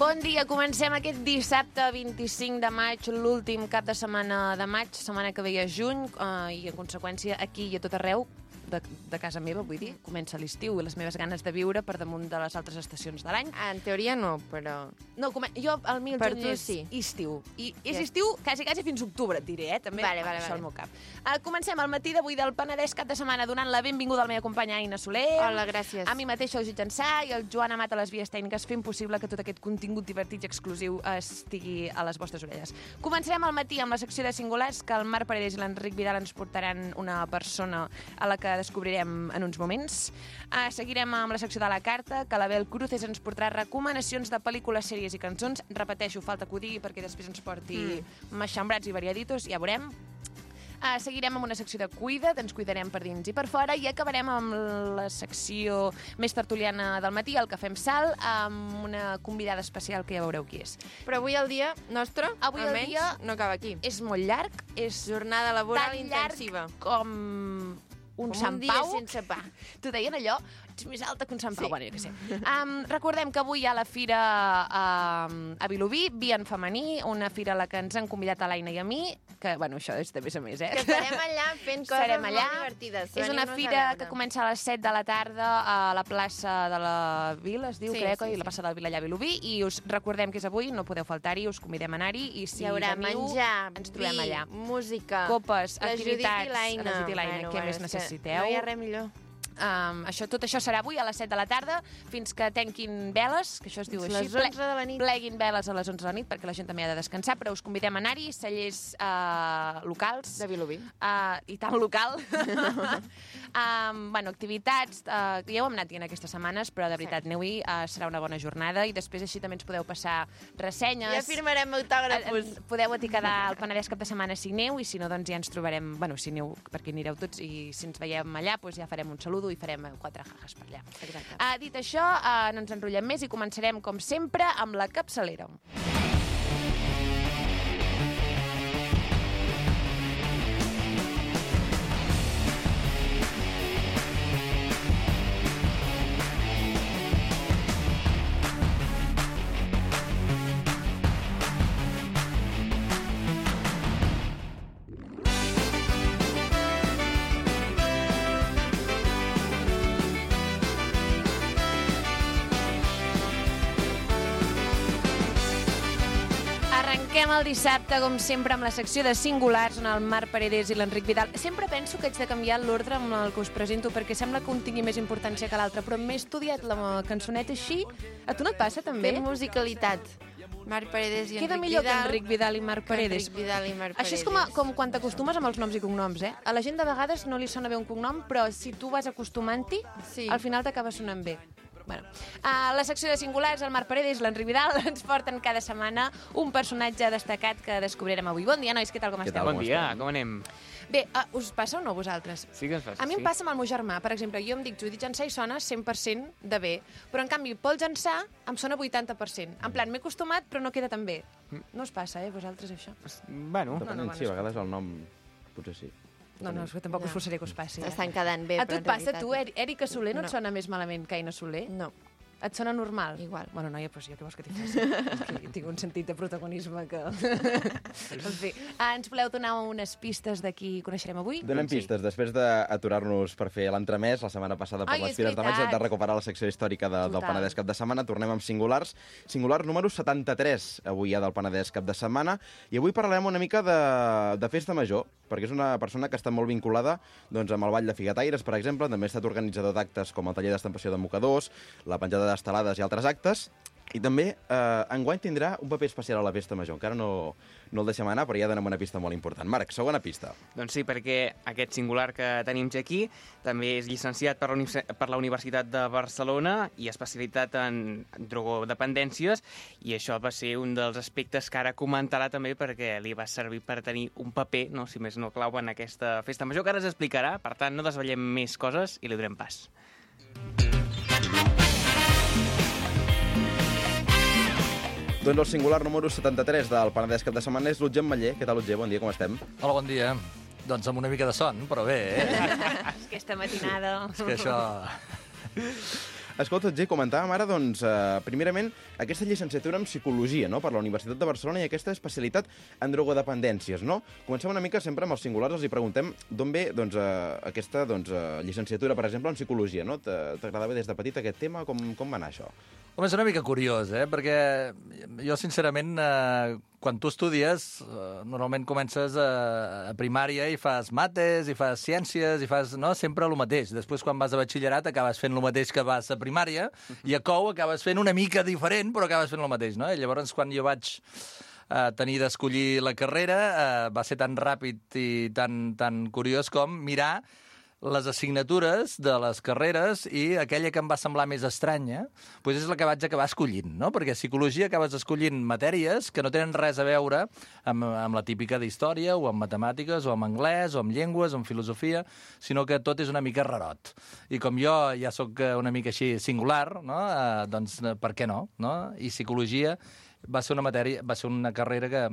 Bon dia, comencem aquest dissabte 25 de maig, l'últim cap de setmana de maig, setmana que ve a juny, i en conseqüència aquí i a tot arreu, de casa meva, vull dir, comença l'estiu i les meves ganes de viure per damunt de les altres estacions de l'any. En teoria no, però... No, jo el meu Per juny tu és sí. estiu. I és estiu quasi fins octubre, et diré, també. Vale. Això al meu cap. Comencem el matí d'avui del Penedès cap de setmana donant la benvinguda a la meva companya Aina Soler. Hola, gràcies. A mi mateixa, el Jutge Ensà, i el Joan Amat a les vies tècniques fent possible que tot aquest contingut divertit i exclusiu estigui a les vostres orelles. Començarem al matí amb la secció de singulars, que el Marc Paredes i l'Enric Vidal ens portaran una persona a la que descobrirem en uns moments. Seguirem amb la secció de la carta, que l'Abel Cruces ens portarà recomanacions de pel·lícules, sèries i cançons. Repeteixo, falta que ho digui perquè després ens porti maxambrats i variaditos, ja veurem. Seguirem amb una secció de cuida't, ens cuidarem per dins i per fora, i acabarem amb la secció més tertuliana del matí, el Cafè amb Sal, amb una convidada especial que ja veureu qui és. Però avui el dia nostre, Avui el almenys, dia no acaba aquí. És molt llarg, és Jornada laboral tan intensiva. llarg com un Com Sant un dia Pau. sense pa. T'ho deien allò? Ets més alta que un Sant Pau. Sí. Bueno, jo què sé. Recordem que avui hi ha la fira a Vilobí, Vi en femení, una fira a la que ens han convidat a l'Aina i a mi, que, bueno, això és de més a més, Que estarem allà fent coses Serem allà. molt divertides. És una Veniu-nos fira a veure. que comença a les 7 de la tarda a la plaça de la Vila, es diu, Sí, crec, sí, i la plaça de la Vila allà a Vilobí, i us recordem que és avui, no podeu faltar-hi, us convidem a anar-hi, i si Hi haurà veniu, menjar, ens trobem vi, allà. música, Copes, la Judit activitats, i l'Aina. la Judit i l'Aina, què més és que necessiteu? No hi ha res millor. Tot això serà avui a les 7 de la tarda, fins que tanquin veles, que això es diu Fins així. les 11 de la nit. Pleguin veles a les 11 de la nit, perquè la gent també ha de descansar, però us convidem a anar-hi, cellers locals. De Vilobí. I tan local. Activitats, ja ho hem anat dient aquestes setmanes, però de veritat, aneu-hi, serà una bona jornada, i després així també ens podeu passar ressenyes. Ja firmarem autògrafos. Podeu etiquetar el Penedès cap de setmana si aneu, i si no, doncs ja ens trobarem, bueno, si aneu, perquè anireu tots, i si ens veiem allà, doncs ja farem un saludo i farem 4 jajas per allà. Exacte. Dit això, no ens enrotllem més i començarem, com sempre, amb la capçalera. Arrenquem el dissabte, com sempre, amb la secció de singulars, on el Marc Paredes i l'Enric Vidal... Sempre penso que haig de canviar l'ordre amb el que us presento, perquè sembla que un tingui més importància que l'altre, però m'he estudiat la cançoneta així. A tu no et passa, també? Fent musicalitat. Marc Paredes i Queda Enric millor Vidal. que Enric Vidal i Marc Paredes. Enric Vidal i Marc Això és Paredes. com quan t'acostumes amb els noms i cognoms, eh? A la gent de vegades no li sona bé un cognom, però si tu vas acostumant-hi, Sí. al final t'acaba sonant bé. Bueno, la secció de singulars, el Marc Paredes i l'Enric Vidal ens porten cada setmana un personatge destacat que descobrirem avui. Bon dia, nois, què tal, com esteu? Bon dia, com anem? Bé, us passa o no a vosaltres? Sí que ens passa, A mi sí. em passa amb el meu germà, per exemple, jo em dic Judit Jansà i sona 100% de bé, però en canvi Pol Jansà em sona 80%. En plan, m'he acostumat, però no queda tan bé. No us passa, vosaltres, això? Bueno, Depenent, sí, a vegades el nom potser sí. No, és que tampoc us forçaré que us passi. Estan quedant bé, A però tu et en passa, realitat... Èrica Soler no et No. sona més malament que Aina Soler? No. Et sona normal? Igual. Bueno, noia, doncs jo què vols que t'hi faci? És que tinc un sentit de protagonisme que... En fi, ens voleu donar unes pistes de qui coneixerem avui? Donem pistes. Després d'aturar-nos per fer l'entremès, la setmana passada per Ai, les és Fires de Maig, veritat. de recuperar la secció històrica del Total. Penedès cap de setmana, tornem amb singulars. Singular número 73, avui ja del Penedès cap de setmana. I avui parlarem una mica de festa major, perquè és una persona que està molt vinculada doncs, amb el Ball de Figataires, per exemple. També ha estat organitzador d'actes com el taller d'estampació de mocadors, la penjada d'estelades i altres actes. I també enguany tindrà un paper especial a la festa major. Encara no el deixem anar, però ja donem una pista molt important. Marc, segona pista. doncs sí, perquè aquest singular que tenim aquí també és llicenciat per la Universitat de Barcelona i especialitat en drogodependències, i això va ser un dels aspectes que ara comentarà també perquè li va servir per tenir un paper, no, si més no clau, en aquesta festa major, que ara es explicarà. Per tant, no desvetllem més coses i li donem pas. Doncs el singular número 73 del Penedès cap de setmana és l'Utger Maller. Què tal, Utger? Bon dia, com estem? Hola, bon dia. Doncs amb una mica de son, però bé, eh? Aquesta matinada... És que això... Escolta, Txell, comentàvem ara, doncs, primerament, aquesta llicenciatura en Psicologia, no?, per la Universitat de Barcelona i aquesta especialitat en drogodependències, no? Comencem una mica sempre amb els singulars, els hi preguntem d'on ve, doncs, aquesta, doncs, llicenciatura, per exemple, en Psicologia, no? T'agradava des de petit aquest tema? Com va anar això? Home, és una mica curiós, perquè jo, sincerament, quan tu estudies, normalment comences a primària i fas mates, i fas ciències, i fas sempre el mateix. Després, quan vas a batxillerat, acabes fent el mateix que vas a primària, i a COU acabes fent una mica diferent, però acabes fent el mateix, no? I llavors, quan jo vaig tenir d'escollir la carrera, va ser tan ràpid i tan curiós com mirar les assignatures de les carreres i aquella que em va semblar més estranya doncs és la que vaig acabar escollint, no? Perquè a Psicologia acabes escollint matèries que no tenen res a veure amb la típica d'història o amb matemàtiques o amb anglès o amb llengües o amb filosofia, sinó que tot és una mica rarot. I com jo ja sóc una mica així singular, no? Doncs per què no? I Psicologia va ser una carrera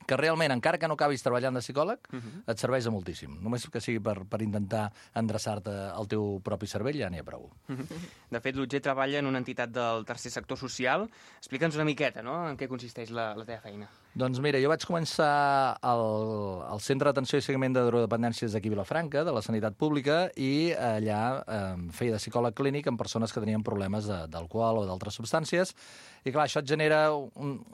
que realment, encara que no acabis treballant de psicòleg, et serveix de moltíssim. Només que sigui per intentar endreçar-te al teu propi cervell, ja n'hi ha prou. De fet, l'Otger treballa en una entitat del tercer sector social. Explica'ns una miqueta, no?, en què consisteix la teva feina. Doncs mira, jo vaig començar al Centre d'Atenció i Seguiment de Drogodependències d'aquí Vilafranca, de la Sanitat Pública, i allà feia de psicòleg clínic amb persones que tenien problemes d'alcohol o d'altres substàncies. I clar, això et genera un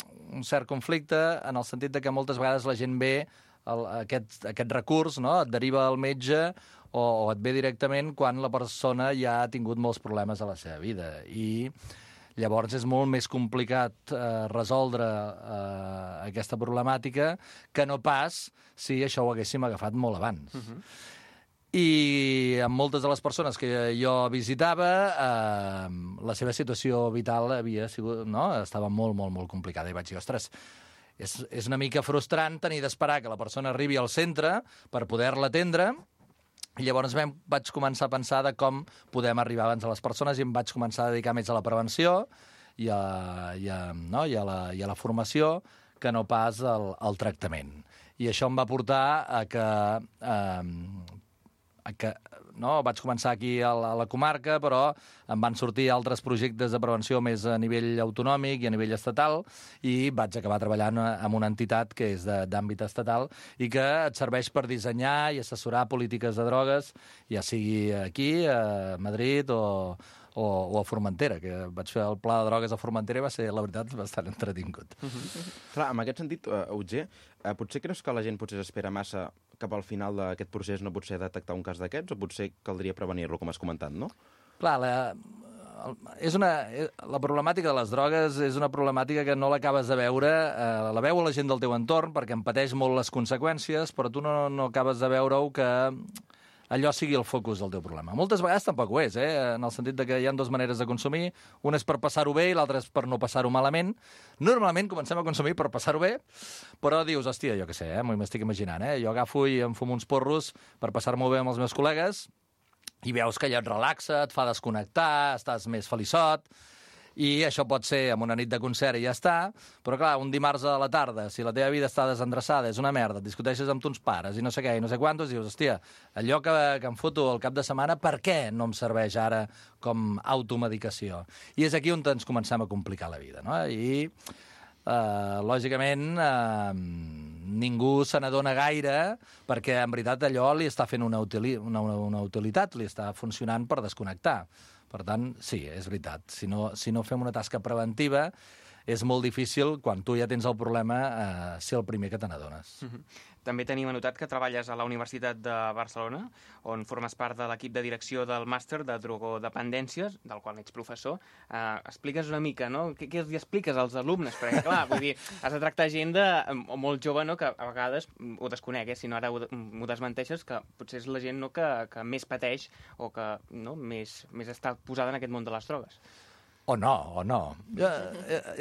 cert conflicte en el sentit de que moltes vegades la gent ve aquest recurs, no? Et deriva al metge o et ve directament quan la persona ja ha tingut molts problemes a la seva vida. I llavors és molt més complicat resoldre aquesta problemàtica que no pas si això ho haguéssim agafat molt abans. I amb moltes de les persones que jo visitava, la seva situació vital havia sigut, estava molt, molt, molt complicada. I vaig dir, ostres, és una mica frustrant tenir d'esperar que la persona arribi al centre per poder-la atendre. I llavors vaig començar a pensar de com podem arribar abans a les persones i em vaig començar a dedicar més a la prevenció i a la formació que no pas al tractament. I això em va portar a que vaig començar aquí a la comarca, però em van sortir altres projectes de prevenció més a nivell autonòmic i a nivell estatal i vaig acabar treballant en una entitat que és d'àmbit estatal i que et serveix per dissenyar i assessorar polítiques de drogues, ja sigui aquí, a Madrid o a Formentera, que vaig fer el pla de drogues a Formentera i va ser, la veritat, bastant entretingut. Clar, en aquest sentit, Otger, potser creus que la gent potser s'espera massa cap al final d'aquest procés no potser detectar un cas d'aquests o potser caldria prevenir-lo, com has comentat, no? Clar, la problemàtica de les drogues és una problemàtica que no l'acabes de veure, la veu la gent del teu entorn perquè en pateix molt les conseqüències, però tu no acabes de veure-ho que allò sigui el focus del teu problema. Moltes vegades tampoc ho és, en el sentit que hi ha dues maneres de consumir. Una és per passar-ho bé i l'altra és per no passar-ho malament. Normalment comencem a consumir per passar-ho bé, però dius, hòstia, jo què sé, m'ho estic imaginant, jo agafo i em fumo uns porros per passar-m'ho bé amb els meus col·legues i veus que allò et relaxa, et fa desconnectar, estàs més feliçot. I això pot ser amb una nit de concert i ja està, però clar, un dimarts a la tarda, si la teva vida està desendreçada, és una merda, et discuteixes amb tons pares i no sé què, i no sé quantos, dius, hòstia, allò que em foto el cap de setmana, per què no em serveix ara com automedicació? I és aquí on ens comencem a complicar la vida, no? I, lògicament, ningú se n'adona gaire perquè, en veritat, allò li està fent una utilitat, li està funcionant per desconnectar. Per tant, sí, és veritat. Si no fem una tasca preventiva, és molt difícil, quan tu ja tens el problema, ser el primer que te n'adones. També tenim anotat que treballes a la Universitat de Barcelona, on formes part de l'equip de direcció del màster de drogodependències, del qual ets professor. Expliques una mica, no? Què els expliques als alumnes? Perquè, clar, vull dir, has de tractar gent molt jove, no?, que a vegades ho desconec, si no ara ho desmenteixes, que potser és la gent que més pateix o que més està posada en aquest món de les drogues. O no.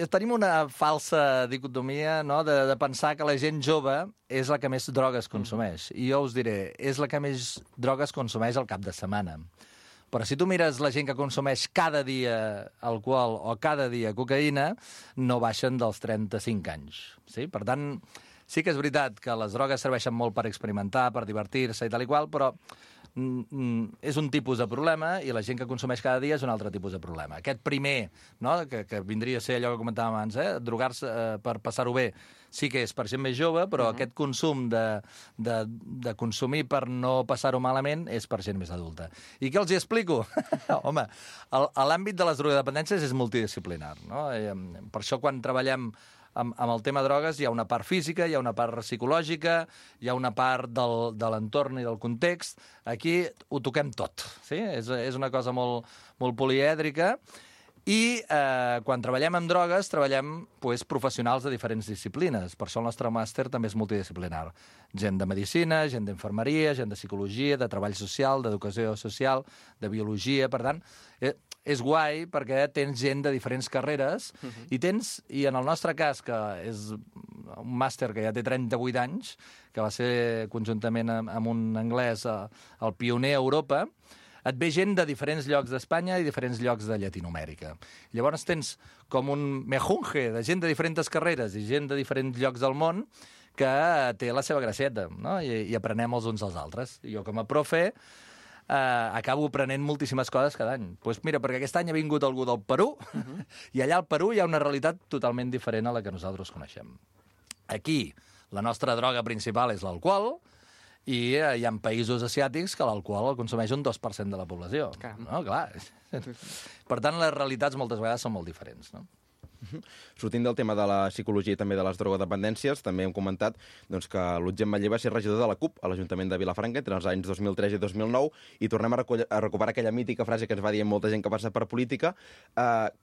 Tenim una falsa dicotomia, no?, de pensar que la gent jove és la que més drogues consumeix. I jo us diré, és la que més drogues consumeix al cap de setmana. Però si tu mires la gent que consumeix cada dia alcohol o cada dia cocaïna, no baixen dels 35 anys. Sí? Per tant, sí que és veritat que les drogues serveixen molt per experimentar, per divertir-se i tal i qual, però és un tipus de problema i la gent que consumeix cada dia és un altre tipus de problema. Aquest primer, no? que vindria a ser allò que comentàvem abans, drogar-se per passar-ho bé, sí que és per gent més jove, però aquest consum de consumir per no passar-ho malament és per gent més adulta. I què els hi explico? Home, l'àmbit de les drogodependències és multidisciplinar, no? Per això quan treballem amb el tema drogues hi ha una part física, hi ha una part psicològica, hi ha una part de l'entorn i del context. Aquí ho toquem tot, sí? És una cosa molt polièdrica. I quan treballem amb drogues, treballem professionals de diferents disciplines. Per això el nostre màster també és multidisciplinar. Gent de medicina, gent d'infermeria, gent de psicologia, de treball social, d'educació social, de biologia. Per tant, és guai perquè tens gent de diferents carreres i en el nostre cas, que és un màster que ja té 38 anys, que va ser conjuntament amb un anglès el pioner a Europa, et ve gent de diferents llocs d'Espanya i diferents llocs de Llatinoamèrica. Llavors tens com un mejunje de gent de diferents carreres i gent de diferents llocs del món que té la seva gracieta, no? I aprenem els uns als altres. Jo com a profe acabo aprenent moltíssimes coses cada any. Doncs mira, perquè aquest any ha vingut algú del Perú i allà al Perú hi ha una realitat totalment diferent a la que nosaltres coneixem. Aquí la nostra droga principal és l'alcohol, i hi ha països asiàtics que l'alcohol el consumeix un 2% de la població. No, clar. Per tant, les realitats moltes vegades són molt diferents, no? Sortint del tema de la psicologia i també de les drogodependències, també hem comentat que l'Utgem Matller va ser regidor de la CUP a l'Ajuntament de Vilafranca entre els anys 2003 i 2009 i tornem a recuperar aquella mítica frase que ens va dir molta gent que passa per política.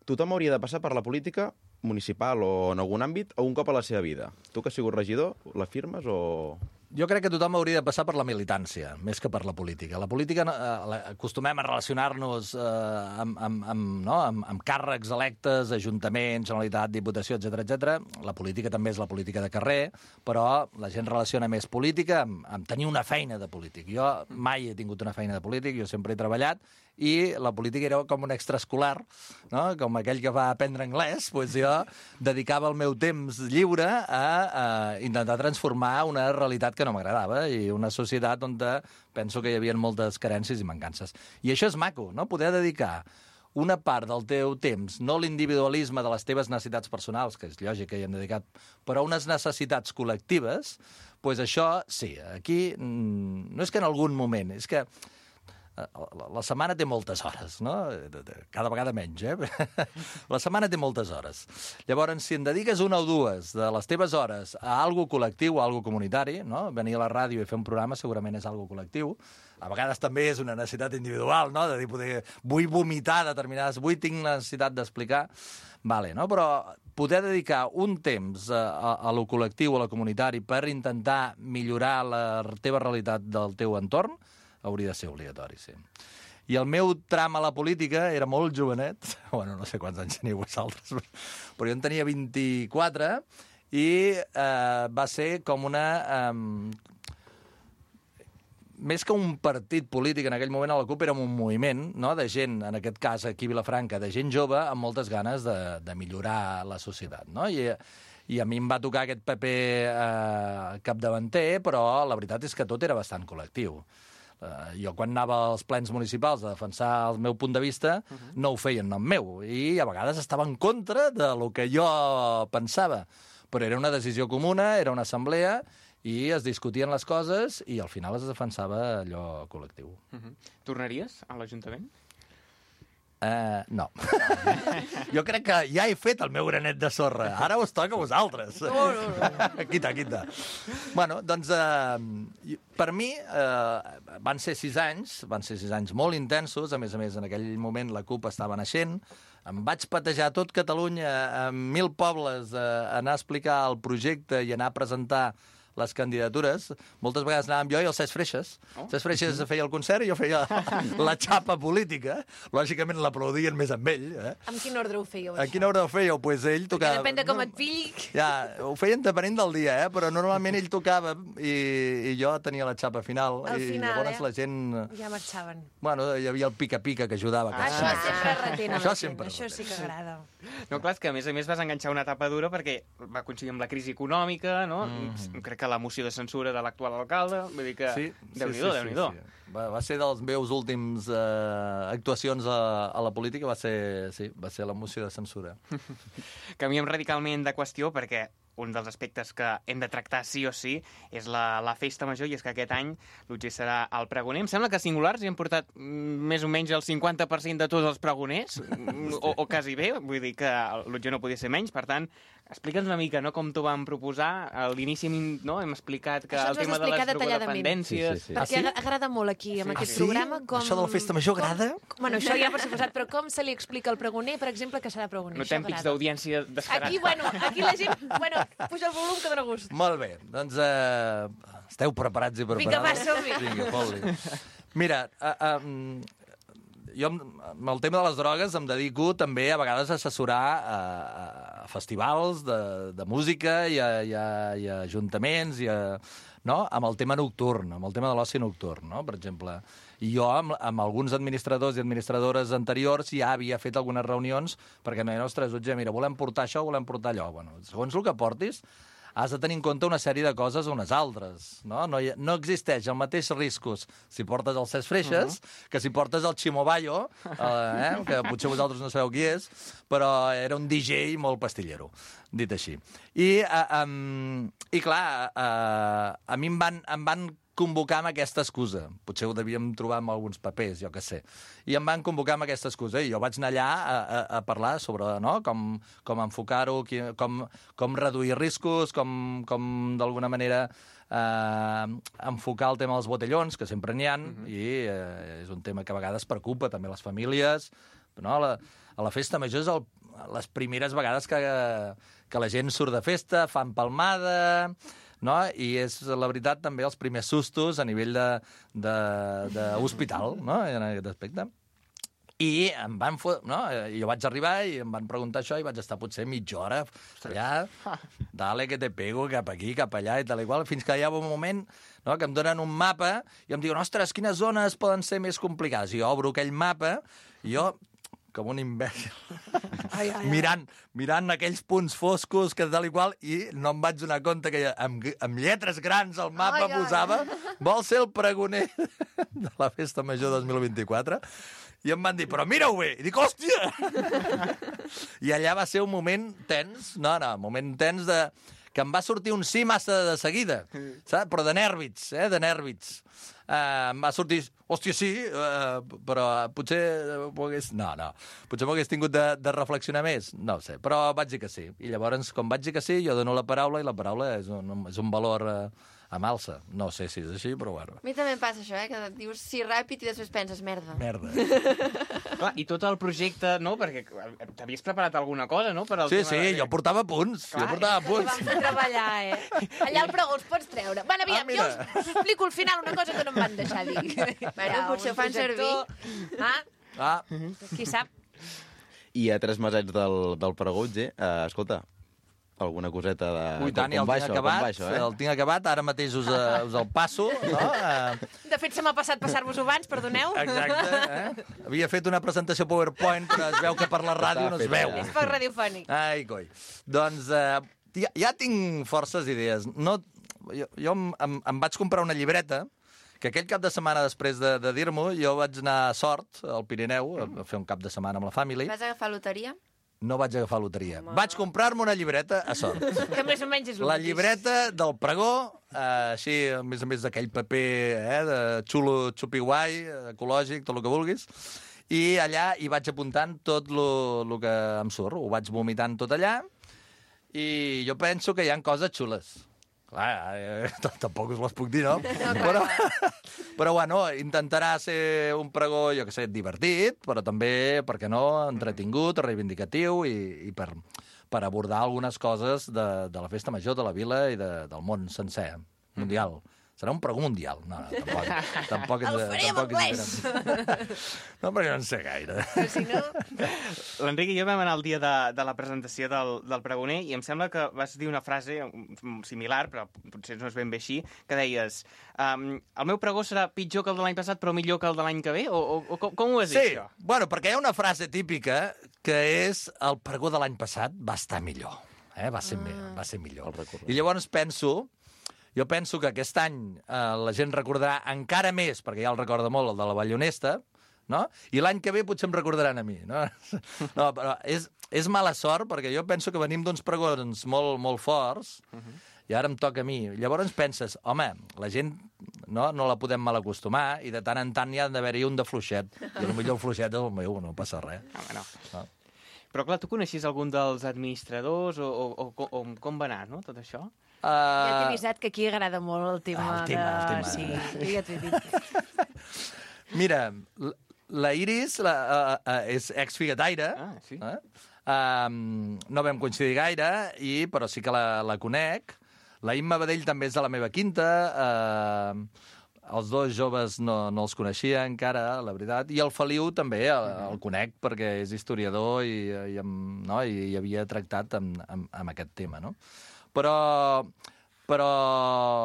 Tothom hauria de passar per la política municipal o en algun àmbit o un cop a la seva vida. Tu que has sigut regidor, l'afirmes o...? Jo crec que tothom hauria de passar per la militància, més que per la política. La política acostumem a relacionar-nos amb càrrecs electes, ajuntaments, Generalitat, Diputació, etc. La política també és la política de carrer, però la gent relaciona més política amb tenir una feina de polític. Jo mai he tingut una feina de polític, jo sempre he treballat, i la política era com un extraescolar, no? Com aquell que va aprendre anglès, doncs jo dedicava el meu temps lliure a intentar transformar una realitat que no m'agradava i una societat on penso que hi havia moltes carències i mancances. I això és maco, no? Poder dedicar una part del teu temps, no l'individualisme de les teves necessitats personals, que és lògic que hi hem dedicat, però unes necessitats col·lectives, doncs això, sí, aquí no és que en algun moment, és que la setmana té moltes hores, no? Cada vegada menys, La setmana té moltes hores. Llavors, si en dediques una o dues de les teves hores a algo col·lectiu, a algo comunitari, no? Venir a la ràdio i fer un programa segurament és algo col·lectiu. A vegades també és una necessitat individual, no? De dir, vull vomitar determinades... tinc la necessitat d'explicar... Vale, no? Però poder dedicar un temps a lo col·lectiu, a lo comunitari, per intentar millorar la teva realitat del teu entorn, hauria de ser obligatori, sí. I el meu tram a la política era molt jovenet, bueno, no sé quants anys teniu vosaltres, però jo en tenia 24, i va ser com una... Més que un partit polític, en aquell moment a la CUP érem un moviment, no?, de gent, en aquest cas aquí a Vilafranca, de gent jove amb moltes ganes de millorar la societat, no? I a mi em va tocar aquest paper capdavanter, però la veritat és que tot era bastant col·lectiu. Jo, quan anava als plens municipals a defensar el meu punt de vista, no ho feia en nom meu, i a vegades estava en contra de lo que jo pensava. Però era una decisió comuna, era una assemblea, i es discutien les coses i al final es defensava allò col·lectiu. Tornaries a l'Ajuntament? No. Jo crec que ja he fet el meu granet de sorra. Ara us toca a vosaltres. Quita. Bueno, doncs, per mi van ser 6 anys molt intensos. A més, en aquell moment la CUP estava naixent. Em vaig patejar tot Catalunya amb 1.000 pobles a anar a explicar el projecte i anar a presentar les candidatures. Moltes vegades anàvem jo i el Cesc Freixes. Cesc Freixes feia el concert i jo feia la xapa política. Lògicament l'aplaudien més amb ell. En quin ordre ho fèieu, En això? quin ordre ho fèieu? Doncs ell tocava... Depèn de com et pilli. Ja, ho feien depenent del dia, però normalment ell tocava i jo tenia la xapa final. Al I final, llavors la gent... Ja marxaven. Bueno, hi havia el pica-pica que ajudava. Això sempre retén Això la gent. sempre Això sí que agrada. No, clar, és que a més vas enganxar una etapa dura perquè va coincidir amb la crisi econòmica, no? Crec que la moció de censura de l'actual alcalde. Vull dir que... Déu-n'hi-do, Déu-n'hi-do. Va ser dels meus últims actuacions a la política, va ser la moció de censura. Canviem radicalment de qüestió perquè un dels aspectes que hem de tractar sí o sí és la festa major, i és que aquest any l'Utger serà el pregoner. Em sembla que singulars hi han portat més o menys el 50% de tots els pregoners, o quasi bé, vull dir que l'Utger no podia ser menys, per tant, explica'ns una mica, no?, com t'ho vam proposar. A l'inici hem explicat que el tema de les drogodependències... Perquè agrada molt aquí, amb aquest programa. Això de la festa major agrada? Bueno, això ja per suposat, però com se li explica al pregoner, per exemple, que serà pregoner? Notem pics d'audiència descarats. Aquí la gent... Puja el volum que dona gust. Molt bé, doncs esteu preparats i preparades? Vinga, va, som-hi. Vinga, fot-li. Mira, jo amb el tema de les drogues em dedico també a vegades a assessorar a festivals de música i a ajuntaments amb el tema nocturn, amb el tema de l'oci nocturn, no? Per exemple. I jo amb alguns administradors i administradores anteriors ja havia fet algunes reunions perquè em deien, ostres, Utger, mira, volem portar això, volem portar allò. Bueno, segons el que portis, has de tenir en compte una sèrie de coses unes altres, no? No existeix el mateix riscos si portes els Ses Freixes que si portes el Chimobayo, que potser vosaltres no sabeu qui és, però era un DJ molt pastillero, dit així. I clar, a mi em van convocar amb aquesta excusa. Potser ho devíem trobar amb alguns papers, jo què sé. I em van convocar amb aquesta excusa i jo vaig anar allà a parlar sobre com enfocar-ho, com reduir riscos, com d'alguna manera enfocar el tema dels botellons, que sempre n'hi ha, i és un tema que a vegades preocupa també les famílies. No? A la festa major és les primeres vegades que la gent surt de festa, fan palmada... No? I és, la veritat, també els primers sustos a nivell d'hospital, no? En aquest aspecte. I em van jo vaig arribar i em van preguntar això i vaig estar potser mitja hora allà, dale que te pego, cap aquí, cap allà i tal i qual, fins que hi ha un moment que em donen un mapa i em diuen, ostres, quines zones poden ser més complicades? I jo obro aquell mapa i jo, com un imbècil, mirant aquells punts foscos que tal i qual, i no em vaig donar compte que amb lletres grans al mapa posava vol ser el pregoner de la Festa Major 2024, i em van dir, però mira-ho bé! I dic, hòstia! I allà va ser un moment tens, moment tens que em va sortir un sí massa de seguida, saps? Però de nèrvits, de nèrvits. Em va sortir, hòstia, sí, però potser potser m'ho hagués tingut de reflexionar més, no ho sé, però vaig dir que sí. I llavors, com vaig dir que sí, jo dono la paraula, i la paraula és un valor amb alça. No sé si és així, però bueno. A mi també em passa això, que dius sí ràpid i després penses merda. Clar, i tot el projecte, no? Perquè t'havies preparat alguna cosa, no? Sí, jo portava punts. Vam fer treballar, Allà el pregó els pots treure. Bueno, aviam, jo us explico al final una cosa que no em van deixar dir. Bueno, potser ho fan servir. Qui sap? I a 3 mesets del pregó, escolta, alguna coseta de... Ui, tant, ja el tinc acabat, ara mateix us el passo, no? De fet, se m'ha passat passar-vos-ho abans, perdoneu. Exacte, Havia fet una presentació PowerPoint, però es veu que per la ràdio no es veu. És poc radiofònic. Ai, coi. Doncs ja tinc forces idees. Jo em vaig comprar una llibreta, que aquell cap de setmana després de dir-m'ho, jo vaig anar a Sort, al Pirineu, a fer un cap de setmana amb la família. Vas agafar loteria? No vaig agafar loteria. Vaig comprar-me una llibreta a Sort. Que més o menys és el La llibreta del pregó, així, a més d'aquell paper de xulo, xupi-guai, ecològic, tot el que vulguis, i allà hi vaig apuntant tot el que em surt. Ho vaig vomitant tot allà, i jo penso que hi ha coses xules. Clar, tampoc us les puc dir, no? Però bueno, intentarà ser un pregó, jo què sé, divertit, però també, per què no, entretingut, reivindicatiu i per abordar algunes coses de la Festa Major de la vila i del món sencer, mundial. Serà un pregó mundial. No, tampoc el faré en anglès. No, perquè no en sé gaire. Si no... L'Enric i jo vam anar el dia de la presentació del pregoner i em sembla que vas dir una frase similar, però potser no és ben bé així, que deies, el meu pregó serà pitjor que el de l'any passat, però millor que el de l'any que ve? O com ho has dit, això? Sí, bueno, perquè hi ha una frase típica que és el pregó de l'any passat va estar millor. Va ser millor. I llavors penso... Jo penso que aquest any la gent recordarà encara més, perquè ja el recorda molt, el de la Ballonesta, no? I l'any que ve potser em recordaran a mi, no? No, però és mala sort, perquè jo penso que venim d'uns pregons molt, molt forts, i ara em toca a mi. Llavors penses, home, la gent no la podem mal acostumar, i de tant en tant hi ha d'haver-hi un de fluixet. I potser el fluixet és el meu, no passa res. Home, no. Però, clar, tu coneixies algun dels administradors o com va anar, no, tot això? Ja t'he avisat que aquí agrada molt el tema. El tema. Sí, ja t'ho he dit. Mira, la Iris és exfigataire. Sí. No vam coincidir gaire, però sí que la conec. La Imma Badell també és de la meva quinta. Els dos joves no els coneixia encara, la veritat. I el Feliu també el conec perquè és historiador i havia tractat amb aquest tema, no? Però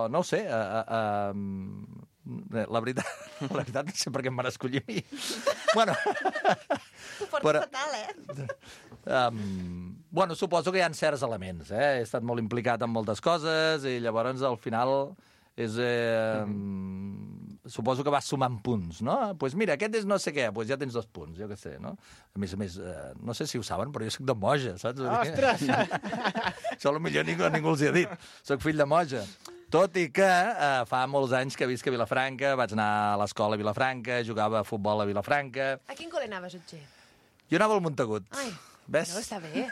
no ho sé, la veritat no sé per què em van escollir a mi. Bueno, Ho portes fatal, bueno, suposo que hi ha certs elements, He estat molt implicat en moltes coses i llavors al final suposo que vas sumant punts, no? Doncs pues mira, aquest és no sé què, doncs ja tens 2 punts, jo què sé, no? A més, no sé si ho saben, però jo soc de Moja, saps? Ostres! Això potser ningú els hi ha dit. Soc fill de Moja. Tot i que fa molts anys que visc a Vilafranca, vaig anar a l'escola a Vilafranca, jugava a futbol a Vilafranca. A quin col·le anaves, Otger? Jo anava al Montagut. Ai, ves? no, està bé.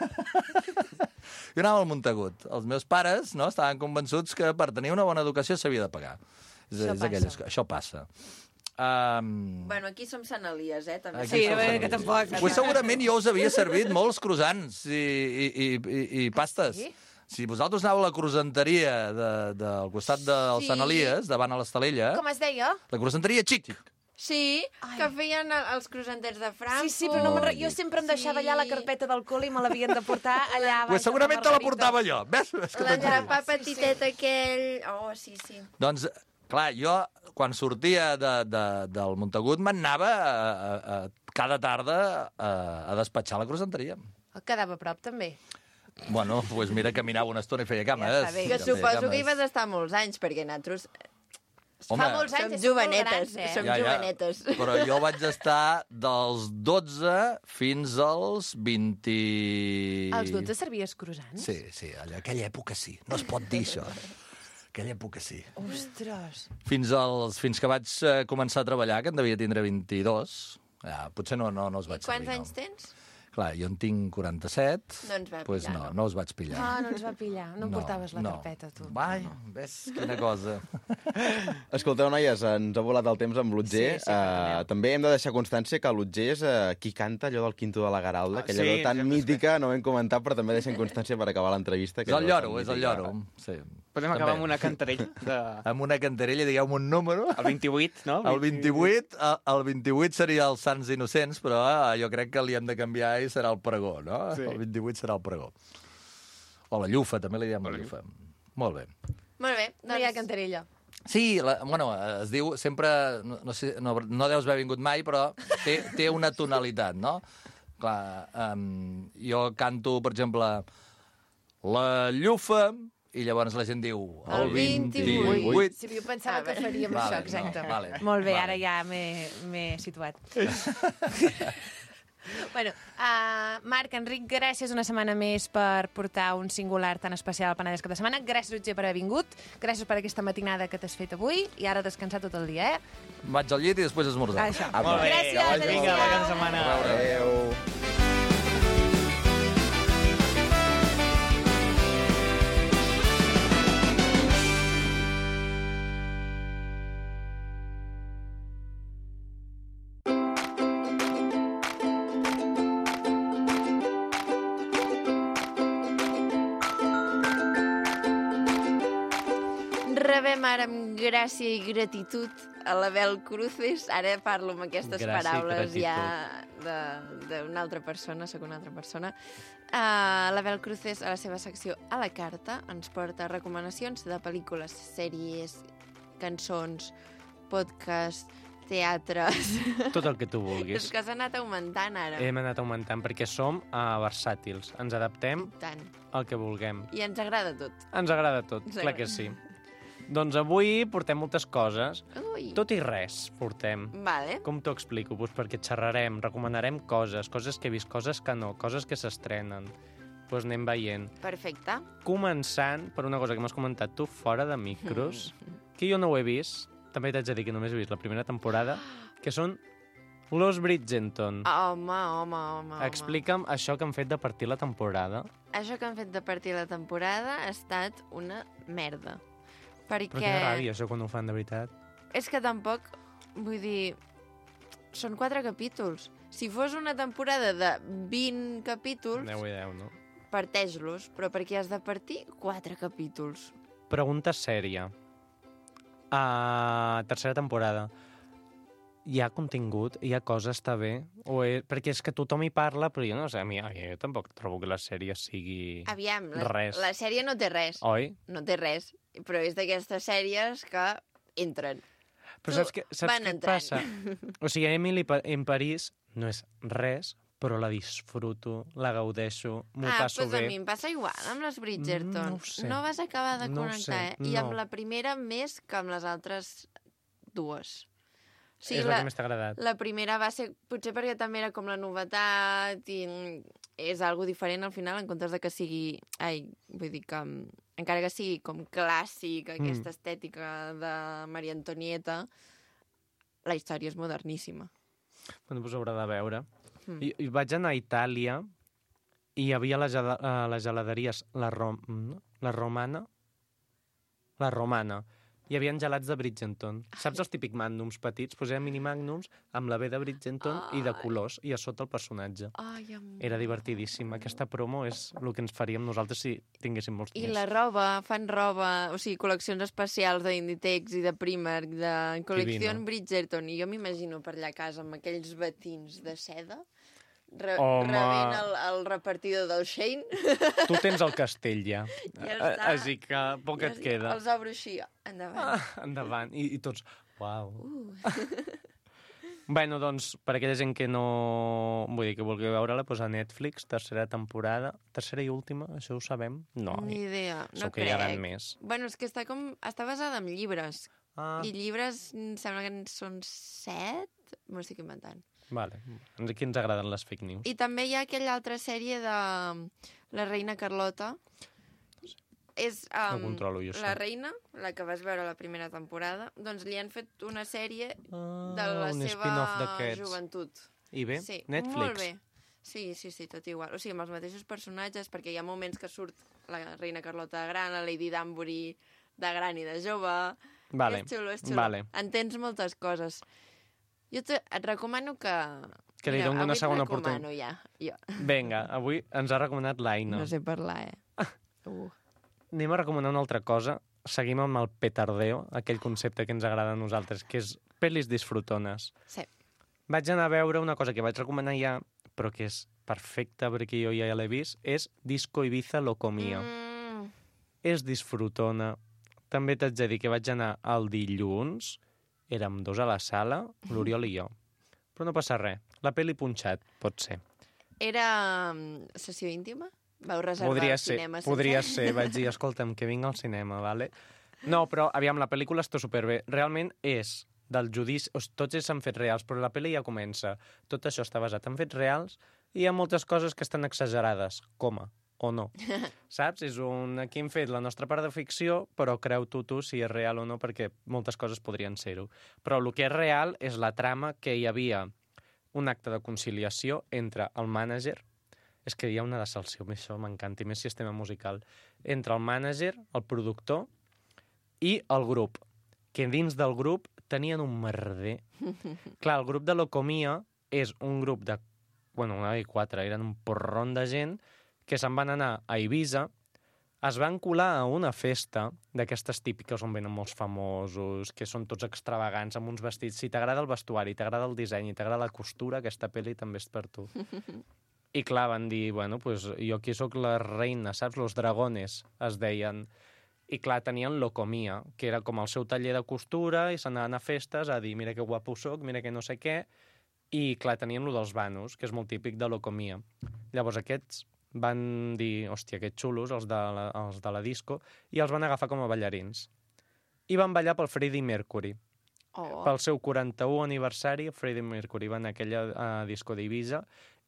Jo anava al Montagut. Els meus pares estaven convençuts que per tenir una bona educació s'havia de pagar. Això passa. Bueno, aquí som Sant Elies, també. Sí, que tampoc. Pues segurament jo us havia servit molts croissants i pastes. Sí? Si vosaltres anàveu a la croissanteria del costat del Sant Elies, davant a l'Estalella... Com es deia? La croissanteria Xic. Sí, que feien els croissanters de Frankfurt. Sí, però jo sempre em deixava allà la carpeta del col·le i me l'havien de portar allà baix. Pues segurament te la portava jo. Ves? L'engrapà petitet aquell... Oh, sí. Doncs, clar, jo, quan sortia del Montagut, m'anava cada tarda a despatxar la croissanteria. Quedava a prop, també. Bueno, doncs mira, caminava una estona i feia cames. Ja està bé. Que suposo que hi vas estar molts anys, perquè nosaltres... Home, fa molts anys, som jovenetes, som jovenetes. Però jo vaig estar dels 12 fins als 20... Als 12 servies croissants? Sí, aquella època sí. No es pot dir això. Aquella època sí. Ostres. Fins que vaig començar a treballar, que en devia tindre 22. Potser no us vaig I quants servir, anys tens? Clar, jo en tinc 47. No ens va pues pillar, no us vaig pillar. No ens va pillar. No em portaves la carpeta, tu. Vai, ves, quina cosa. Escolteu, noies, ens ha volat el temps amb l'Otger. Sí, també hem de deixar constància que l'Otger és qui canta allò del Quinto de la Garalda, aquella sí, veu tan mítica, no ho hem comentat, però també deixem constància per acabar l'entrevista. És el lloro, és el lloro. Sí. Podem acabar amb una cantarella. Amb una cantarella, digueu-me un número. El 28, no? El 28 seria els Sants Innocents, però jo crec que li hem de canviar i serà el pregó, no? Sí. El 28 serà el pregó. O la llufa, també li diem la llufa. Molt bé. Molt bé. No hi ha cantarella. Sí, es diu sempre... No deus haver vingut mai, però té una tonalitat, no? Clar, jo canto, per exemple, la llufa... I llavors la gent diu... El 28. Sí, jo pensava que faríem això, exacte. Vale. Molt bé, ara ja m'he situat. Bueno, Marc, Enric, gràcies una setmana més per portar un singular tan especial al Penedès cap de setmana. Gràcies, Otger, per haver vingut. Gràcies per aquesta matinada que t'has fet avui. I ara descansar tot el dia, Vaig al llit i després esmorzar. Això. Molt bé, Gràcies, vinga, bona setmana. Adéu. Rebem ara amb gràcia i gratitud a l'Abel Cruces. Ara parlo amb aquestes paraules ja d'una altra persona, sóc una altra persona. L'Abel Cruces, a la seva secció A la carta, ens porta recomanacions de pel·lícules, sèries, cançons, podcast, teatres... Tot el que tu vulguis. És que s'ha anat augmentant ara. Hem anat augmentant perquè som versàtils. Ens adaptem Tant. al que vulguem. I ens agrada tot. Ens agrada tot, Ens clar agrada. que sí. Doncs avui portem moltes coses. Ui. Tot i res portem. Vale. Com t'ho explico? Pues perquè xerrarem, recomanarem coses que he vist, coses que no, coses que s'estrenen. Pues anem veient. Perfecte. Començant per una cosa que m'has comentat tu fora de micros, que jo no ho he vist, també t'haig de dir que només he vist la primera temporada, que són Los Bridgerton. Home. Explica'm això que han fet de partir la temporada. Això que han fet de partir la temporada ha estat una merda. Perquè... Però quina ràbia, això, quan ho fan de veritat. És que tampoc, vull dir, són 4 capítols. Si fos una temporada de 20 capítols, 10 i 10, no? parteix-los, però per què has de partir 4 capítols? Pregunta sèria. Tercera temporada. Hi ha contingut? Hi ha cosa, està bé? Perquè és que tothom hi parla, però jo no sé, jo tampoc trobo que la sèrie sigui Aviam, res. la sèrie no té res. Oi? No té res, però és d'aquestes sèries que entren. Però saps què et passa? O sigui, Emily in Paris no és res, però la disfruto, la gaudeixo, m'ho passo doncs bé. a mi em passa igual amb les Bridgerton. No ho sé. No vas acabar de No ho connectar, sé, I amb no. la primera més que amb les altres dues. Sí, És la que més t'ha agradat. La primera va ser, potser perquè també era com la novetat i és algo diferent al final, en comptes de que sigui... vull dir que encara que sigui com clàssic, aquesta estètica de Maria Antonieta, la història és moderníssima. Bueno, doncs haurà de veure. I vaig anar a Itàlia i hi havia les geladeries La Romana. Hi havia gelats de Bridgerton. Saps els típics magnums petits? Doncs eren mini-magnums amb la B de Bridgerton i de colors, i a sota el personatge. Ai, amor. Era divertidíssim. Aquesta promo és el que ens faríem nosaltres si tinguéssim molts I diners. la roba, fan roba, o sigui, col·leccions especials d'Inditex i de Primark, de col·lecció Divino. Bridgerton, i jo m'imagino per allà a casa amb aquells batins de seda, Home. rebent el repartidor del Shein. Tu tens el castell ja. Ja està. Així que poc et queda. Els obro així, endavant. Endavant. I tots, uau. Bueno, doncs, per aquella gent que no... Vull dir, que vulgui veure-la, doncs a Netflix, tercera temporada. Tercera i última, això ho sabem? No, Ni idea, no segur que hi haurà crec. més. Bueno, és que està basada en llibres. I llibres, em sembla que en són 7? M'ho estic inventant. Vale. Aquí ens agraden les fake news. I també hi ha aquella altra sèrie de la reina Carlota. És No controlo jo, la això. reina, la que vas veure la primera temporada, doncs li han fet una sèrie de la un seva spin-off d'aquests. joventut. I bé? Sí, Netflix? molt bé. Sí, tot igual. O sigui, amb els mateixos personatges, perquè hi ha moments que surt la reina Carlota de gran, la Lady Danbury de gran i de jove. Vale. És xulo. Vale. Entens moltes coses. Jo et recomano que... Que li dono una segona oportunitat. Avui et recomano, ja. Vinga, avui ens ha recomanat l'Aina. No sé parlar, Anem a recomanar una altra cosa. Seguim amb el petardeo, aquell concepte que ens agrada a nosaltres, que és pel·lis disfrutones. Sí. Vaig anar a veure una cosa que vaig recomanar ja, però que és perfecta perquè jo ja l'he vist, és Disco Ibiza Locomia. És disfrutona. També t'haig de dir que vaig anar el dilluns, érem 2 a la sala, l'Oriol i jo. Però no passa res. La pel·li punxat, pot ser. Era sessió íntima? Vau reservar el cinema sencer? Podria ser. Vaig dir, escolta'm, que vinc al cinema, vale? No, però, aviam, la pel·lícula està superbé. Realment és del judici... Tots s'han fet reals, però la pel·li ja comença. Tot això està basat en fets reals i hi ha moltes coses que estan exagerades, o no. Saps? Aquí hem fet la nostra part de ficció, però creu-t'ho tu si és real o no, perquè moltes coses podrien ser-ho. Però el que és real és la trama que hi havia un acte de conciliació entre el mànager, és que hi ha una desalció, això m'encanta, i més sistema musical, entre el mànager, el productor i el grup, que dins del grup tenien un merder. Clar, el grup de Locomia és un grup de... Bueno, una i 4, eren un porron de gent que se'n van anar a Eivissa, es van colar a una festa d'aquestes típiques on venen molts famosos, que són tots extravagants, amb uns vestits. Si t'agrada el vestuari, t'agrada el disseny i t'agrada la costura, aquesta pel·li també és per tu. I clar, van dir, bueno, pues jo aquí sóc la reina, saps? Los dragones, es deien. I clar, tenien Locomia, que era com el seu taller de costura, i s'anaven a festes a dir, mira que guapo soc, mira que no sé què. I clar, tenien lo dels vanos, que és molt típic de Locomia. Llavors aquests van dir, hòstia, que xulos, els de la disco, i els van agafar com a ballarins. i van ballar pel Freddie Mercury. Oh. Pel seu 41 aniversari, Freddie Mercury va anar a aquella disco d'Ibiza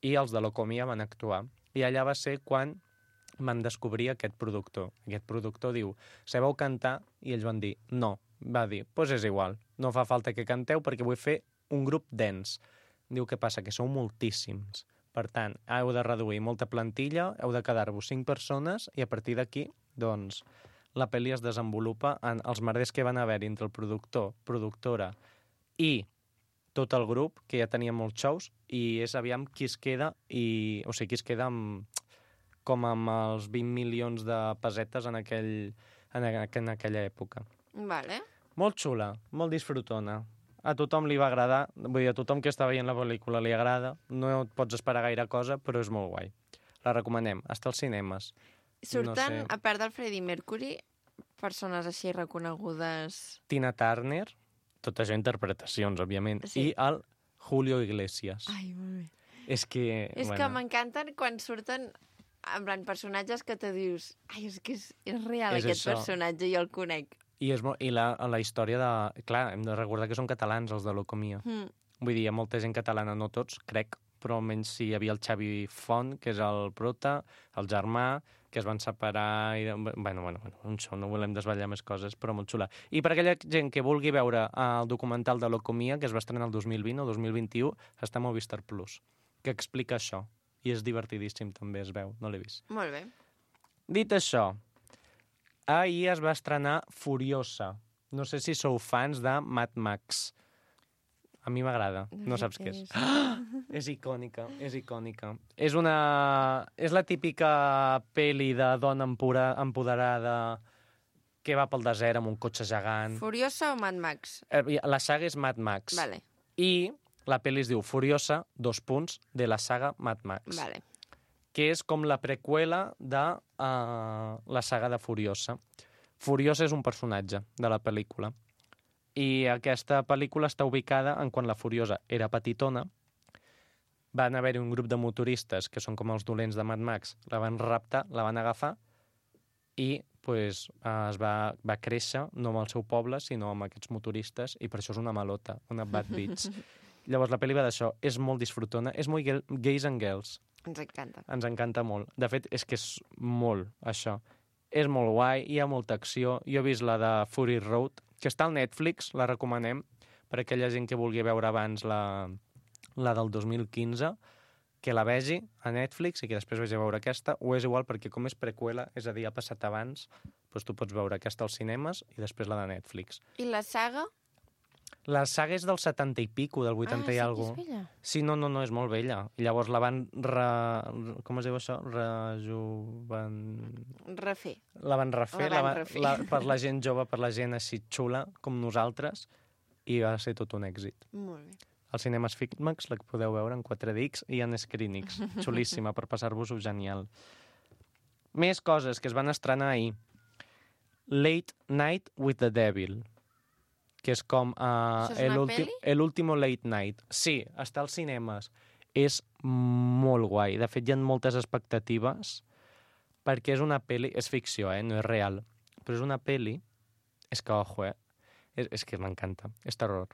i els de Locomia van actuar. I allà va ser quan van descobrir aquest productor. Aquest productor diu, sabeu cantar? I ells van dir, no. Va dir, doncs és igual, no fa falta que canteu perquè vull fer un grup dance. Diu, què passa? Que sou moltíssims. Per tant, heu de reduir molta plantilla, heu de quedar-vos 5 persones i a partir d'aquí, doncs, la pel·li es desenvolupa en els merders que van haver entre el productor, productora i tot el grup, que ja tenia molts shows, i és aviam qui es queda, o sigui, qui es queda com amb els 20 milions de pessetes en aquella època. Vale. Molt xula, molt disfrutona. A tothom li va agradar, vull dir, a tothom que està veient la pel·lícula li agrada, no et pots esperar gaire cosa, però és molt guai. La recomanem, està als cinemes. Surten, No sé. a part del Freddie Mercury, persones així reconegudes... Tina Turner, tot això interpretacions, òbviament, Sí. i el Julio Iglesias. Ai, molt bé. És que... És que m'encanten quan surten en plan personatges que te dius ai, és que és real És aquest això. personatge, jo el conec. I la història de... Clar, hem de recordar que són catalans, els de Locomia. Vull dir, hi ha molta gent catalana, no tots, crec, però almenys sí hi havia el Xavi Font, que és el prota, el germà, que es van separar... Bueno, això no volem desvetllar més coses, però molt xula. I per aquella gent que vulgui veure el documental de Locomia, que es va estrenar el 2020 o 2021, està a Movistar Plus, que explica això. I és divertidíssim, també, es veu. No l'he vist. Molt bé. Dit això, ahir es va estrenar Furiosa. No sé si sou fans de Mad Max. A mi m'agrada, no saps què és. És icònica, és icònica. És la típica pel·li de dona empoderada que va pel desert amb un cotxe gegant. Furiosa o Mad Max? La saga és Mad Max. Vale, I la pel·li es diu Furiosa, de la saga Mad Max. vale. Que és com la preqüela de la saga de Furiosa. Furiosa és un personatge de la pel·lícula. I aquesta pel·lícula està ubicada en quan la Furiosa era petitona. Van haver-hi un grup de motoristes, que són com els dolents de Mad Max, la van raptar, la van agafar i pues, va créixer no amb el seu poble, sinó amb aquests motoristes, i per això és una malota, una bad bitch. Llavors, la pel·li va d'això. És molt disfrutona, és molt gays and girls. Ens encanta. Ens encanta molt. De fet, és que és molt, això. És molt guai, hi ha molta acció. Jo he vist la de Fury Road, que està al Netflix, la recomanem, per aquella gent que vulgui veure abans la del 2015, que la vegi a Netflix i que després vagi a veure aquesta, o és igual perquè com és preqüela, és a dir, ha passat abans, doncs tu pots veure aquesta als cinemes i després la de Netflix. I la saga? La saga és del 70 i pico, del 80 i alguna sí, és vella. Sí, no, és molt vella. I llavors la van com es diu això? Refer. La van refer, per la gent jove, per la gent així xula, com nosaltres, i va ser tot un èxit. Molt bé. Al Cinemes Fitmax la podeu veure en 4DX i en Screenix. Xulíssima, per passar-vos-ho genial. Més coses que es van estrenar ahir. Late Night with the Devil, que és com Això és una pel·li? El último Late Night. Sí, està als cinemes. És molt guai. De fet, hi ha moltes expectatives perquè és una pel·li... És ficció, no és real. Però és una pel·li... És que, ojo, és que m'encanta. És terror.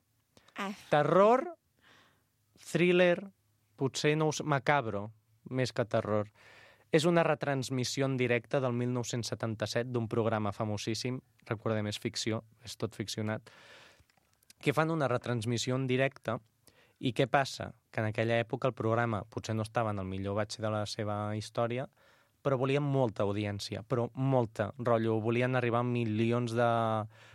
Terror, thriller, potser no macabro, més que terror. És una retransmissió en directe del 1977 d'un programa famosíssim, recordem, és ficció, és tot ficcionat, que fan una retransmissió en directe. I què passa? Que en aquella època el programa potser no estava en el millor batx de la seva història, però volien molta audiència, però molta, rotllo, volien arribar a milions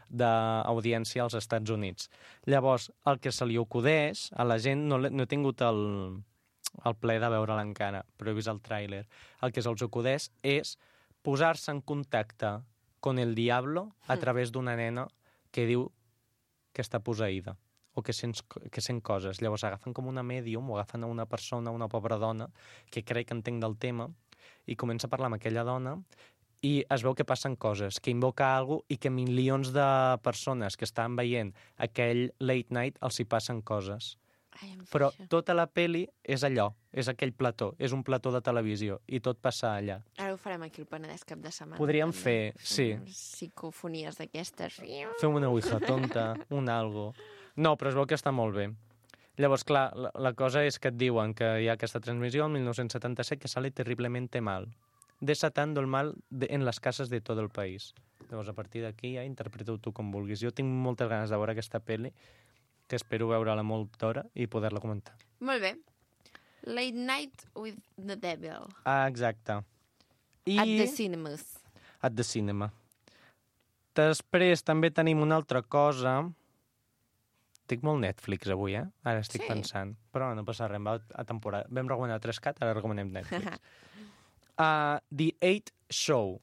d'audiència als Estats Units. Llavors, el que se li acudeix a la gent, no he tingut el ple de veure'l encara, però he vist el tràiler, el que se'ls acudeix és posar-se en contacte con el diablo a través d'una nena que diu que està posseïda o que sent coses. Llavors agafen com una mèdium o agafen a una persona, una pobra dona, que crec que entenc del tema, i comença a parlar amb aquella dona i es veu que passen coses, que invoca alguna cosa i que milions de persones que estan veient aquell late night els hi passen coses. Ai, em Però feixa. tota la peli és allò, és aquell plató, és un plató de televisió, i tot passa allà. Ara ho farem aquí al Penedès cap de setmana. Podríem també. fer, sí. Unes psicofonies d'aquestes. Fem una ouija tonta, un algo... No, però es veu que està molt bé. Llavors, clar, la cosa és que et diuen que hi ha aquesta transmissió en 1977 que sale terriblemente mal, desatando el mal en les cases de tot el país. Llavors, a partir d'aquí ja interpreta-ho tu com vulguis. Jo tinc moltes ganes de veure aquesta pel·li, que espero veure-la molt d'hora i poder-la comentar. Molt bé. Late Night with the Devil. Ah, exacte. I... At the cinemas. At the cinema. Després també tenim una altra cosa. Estic molt Netflix avui, eh? Ara estic pensant. Però no passa res, a temporada. Vam recomanar 3CAT, ara recomanem Netflix. The 8 Show,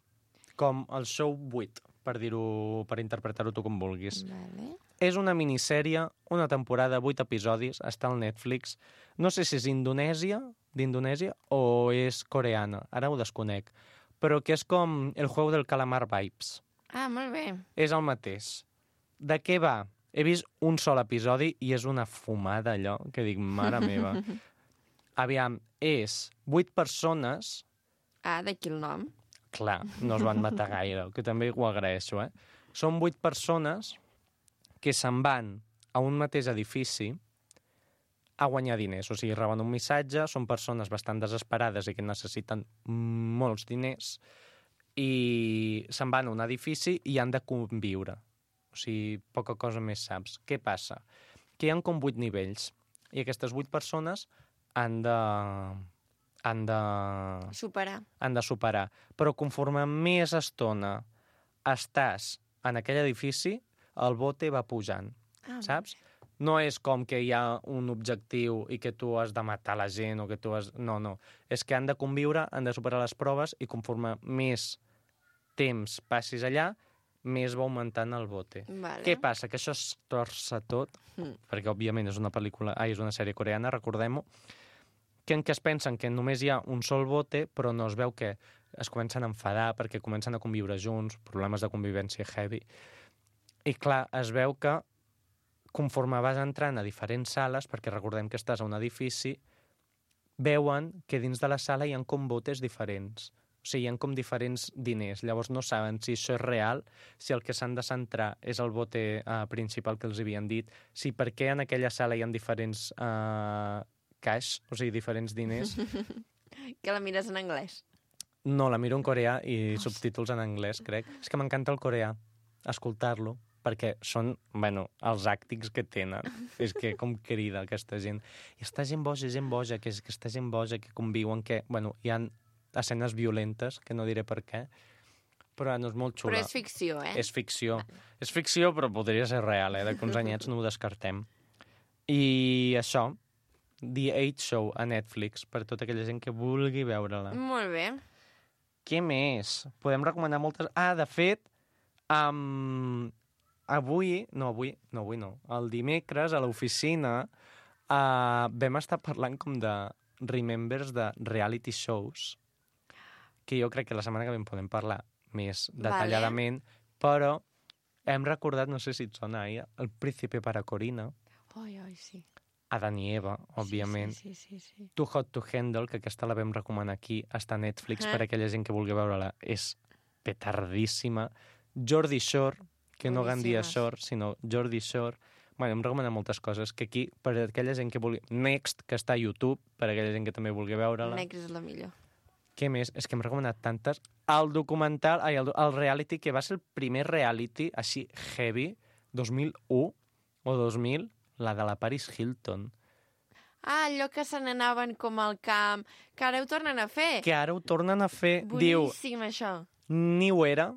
com el show 8, per dir-ho, per interpretar-ho tu com vulguis. Vale. És una minissèrie, una temporada, 8 episodis, està al Netflix. No sé si és d'Indonèsia o és coreana, ara ho desconec. Però que és com el juego del calamar vibes. Ah, molt bé. És el mateix. De què va? He vist un sol episodi i és una fumada, allò, que dic, mare meva. Aviam, és 8 persones... Ah, d'aquí el nom. Clar, no es van matar gaire, que també ho agraeixo, eh? Són 8 persones que se'n van a un mateix edifici a guanyar diners. O sigui, reben un missatge, són persones bastant desesperades i que necessiten molts diners i se'n van a un edifici i han de conviure. O sigui, poca cosa més saps. Què passa? Que hi ha com 8 nivells i aquestes 8 persones han de superar. Però conforme més estona estàs en aquell edifici, el bote va pujant, saps? No és com que hi ha un objectiu i que tu has de matar la gent o que tu has... No. És que han de conviure, han de superar les proves i conforme més temps passis allà, més va augmentant el bote. Vale. Què passa? Que això es torça tot, perquè òbviament és és una sèrie coreana, recordem-ho, que es pensen que només hi ha un sol bote, però no es veu que es comencen a enfadar perquè comencen a conviure junts, problemes de convivència heavy. I clar, es veu que conforme vas entrant a diferents sales, perquè recordem que estàs a un edifici, veuen que dins de la sala hi ha com botes diferents. O sigui, hi ha com diferents diners. Llavors no saben si això és real, si el que s'han de centrar és el bote principal que els havien dit, si per què en aquella sala hi ha diferents cash, o sigui, diferents diners. Que la mires en anglès. No, la miro en coreà i subtítols en anglès, crec. És que m'encanta el coreà, escoltar-lo, perquè són, els àctics que tenen. És que com crida aquesta gent. I està gent boja, que està gent boja, que conviuen, que, hi ha escenes violentes, que no diré per què, però no és molt xula. Però és ficció, eh? És ficció. És ficció, però podria ser real, D'aquí uns anyets no ho descartem. I això, The 8 Show a Netflix, per tota aquella gent que vulgui veure-la. Molt bé. Què més? Podem recomanar moltes... Ah, de fet, el dimecres a l'oficina vam estar parlant com de remembers de reality shows, que jo crec que la setmana que vam podem parlar més detalladament, però hem recordat, no sé si et sona, El Príncipe para Corina. Oi, sí. Adán i Eva, òbviament. Sí. Too Hot to Handle, que aquesta la vam recomanar aquí, està a Netflix per a aquella gent que vulgui veure-la. És petardíssima. Jordi Shore, que no Gandia Shore, sinó Jordi Shore. Hem recomanat moltes coses, que aquí, per a aquella gent que vulgui... Next, que està a YouTube, per a aquella gent que també vulgui veure-la. Next és la millor. Què més? És que hem recomanat tantes. El documental, el reality, que va ser el primer reality així heavy, 2001 o 2000, la de la Paris Hilton. Ah, allò que se n'anaven com al camp, que ara ho tornen a fer. Que ara ho tornen a fer. Boníssim, això. New Era,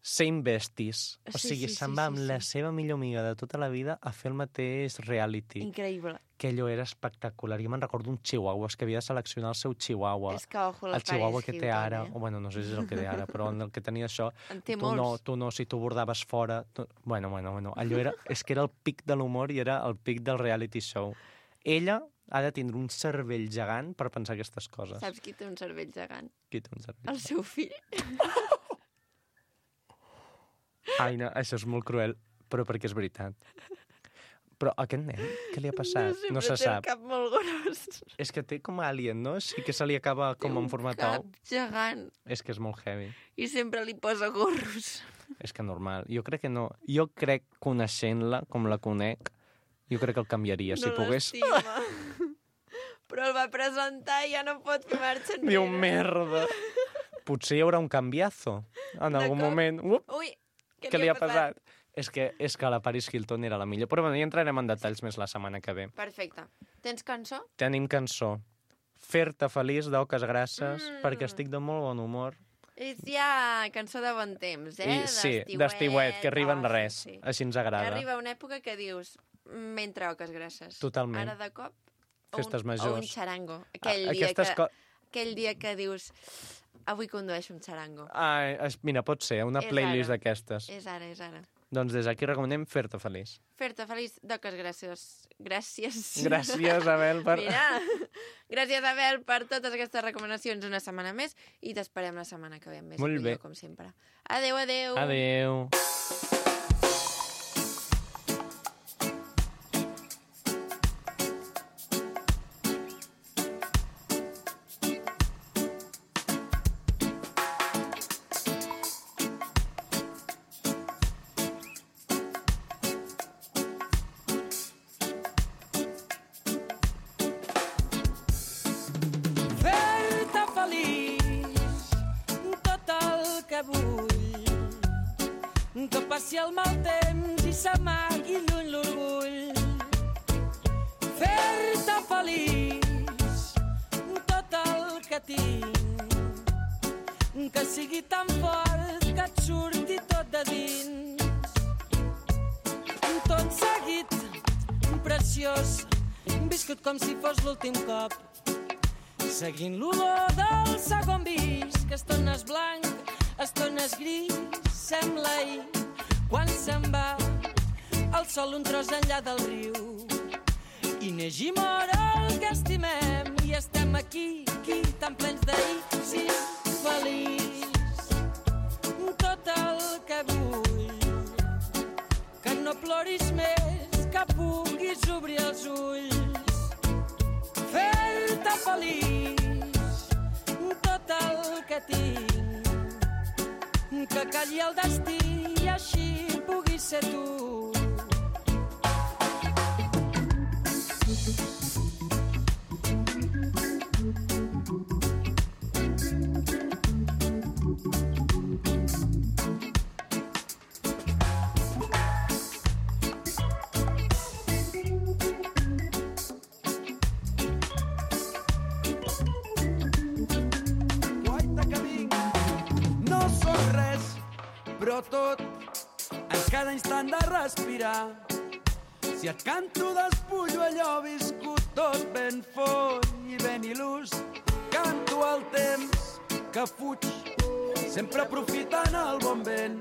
Same Besties. O sigui, Sí, se'n va amb la seva millor amiga de tota la vida a fer el mateix reality. Increïble. Que allò era espectacular. Jo me'n recordo un chihuahua, que havia de seleccionar el seu chihuahua. És que, ojo, el chihuahua que té ara, o no sé si és el que té ara, però el que tenia això, en té molts. Tu no, si tu bordaves fora... Bueno, allò era... És que era el pic de l'humor i era el pic del reality show. Ella ha de tindre un cervell gegant per pensar aquestes coses. Saps qui té un cervell gegant? Qui té un cervell? El seu fill. Ai, no, això és molt cruel, però perquè és veritat. Però aquest nen, què li ha passat? No se Sempre té sap. el cap molt gros. És que té com alien, no? Sí que se li acaba com en format ou. Cap gegant. És que és molt heavy. I sempre li posa gorros. És que normal. Jo crec que no. Jo crec, coneixent-la, com la conec, jo crec que el canviaria. Si pogués... l'estima. Però el va presentar i ja no pot fer marxa enrere. Diu, merda. Potser hi haurà un canviazo en algun moment. Ui, Què li ha passat? És que la Paris Hilton era la millor. Però bueno, ja entrarem en detalls més la setmana que ve. Perfecte. Tens cançó? Tenim cançó. Fer-te feliç d'Oques Grasses, perquè estic de molt bon humor. És ja cançó de bon temps, I, sí, d'estiuet, que arriben res. Sí. Així ens agrada. Arriba una època que dius, mentre oques grasses. Totalment. Ara de cop, Festes o majors. un xarango. Aquell dia que dius, avui condueixo un xarango. Mira, pot ser, una És playlist ara. d'aquestes. És ara, és ara. Doncs des d'aquí recomanem Fer-te feliç. Fer-te feliç d'oques gràcies. Gràcies. Gràcies, Abel, per... Mira, gràcies, Abel, per totes aquestes recomanacions una setmana més i t'esperem la setmana que ve amb més Molt opinió, bé. com sempre. Adéu, adéu. Adéu. Fer-te feliç, tot el que vull, que passi el mal temps i s'amagui lluny l'orgull. Fer-te feliç, tot el que tinc, que sigui tan fort que et surti tot de dins. Tot seguit, preciós, viscut com si fos l'últim cop, seguint l'olor del segon vis, que estones blanc, estones gris, sembla ahir, quan se'n va el sol un tros enllà del riu. I neix i mor el que estimem, i estem aquí, tan plens d'ahir, sí, feliç. Tot el que vull, que no ploris més, que puguis obrir els ulls. Fer-te feliç, tot el que tinc, que calli el destí i així puguis ser tu. No som res, però tot en cada instant de respirar. Si et canto despullo allò viscut tot ben foll i ben il·lús, canto el temps que fuig, sempre aprofitant el bon vent.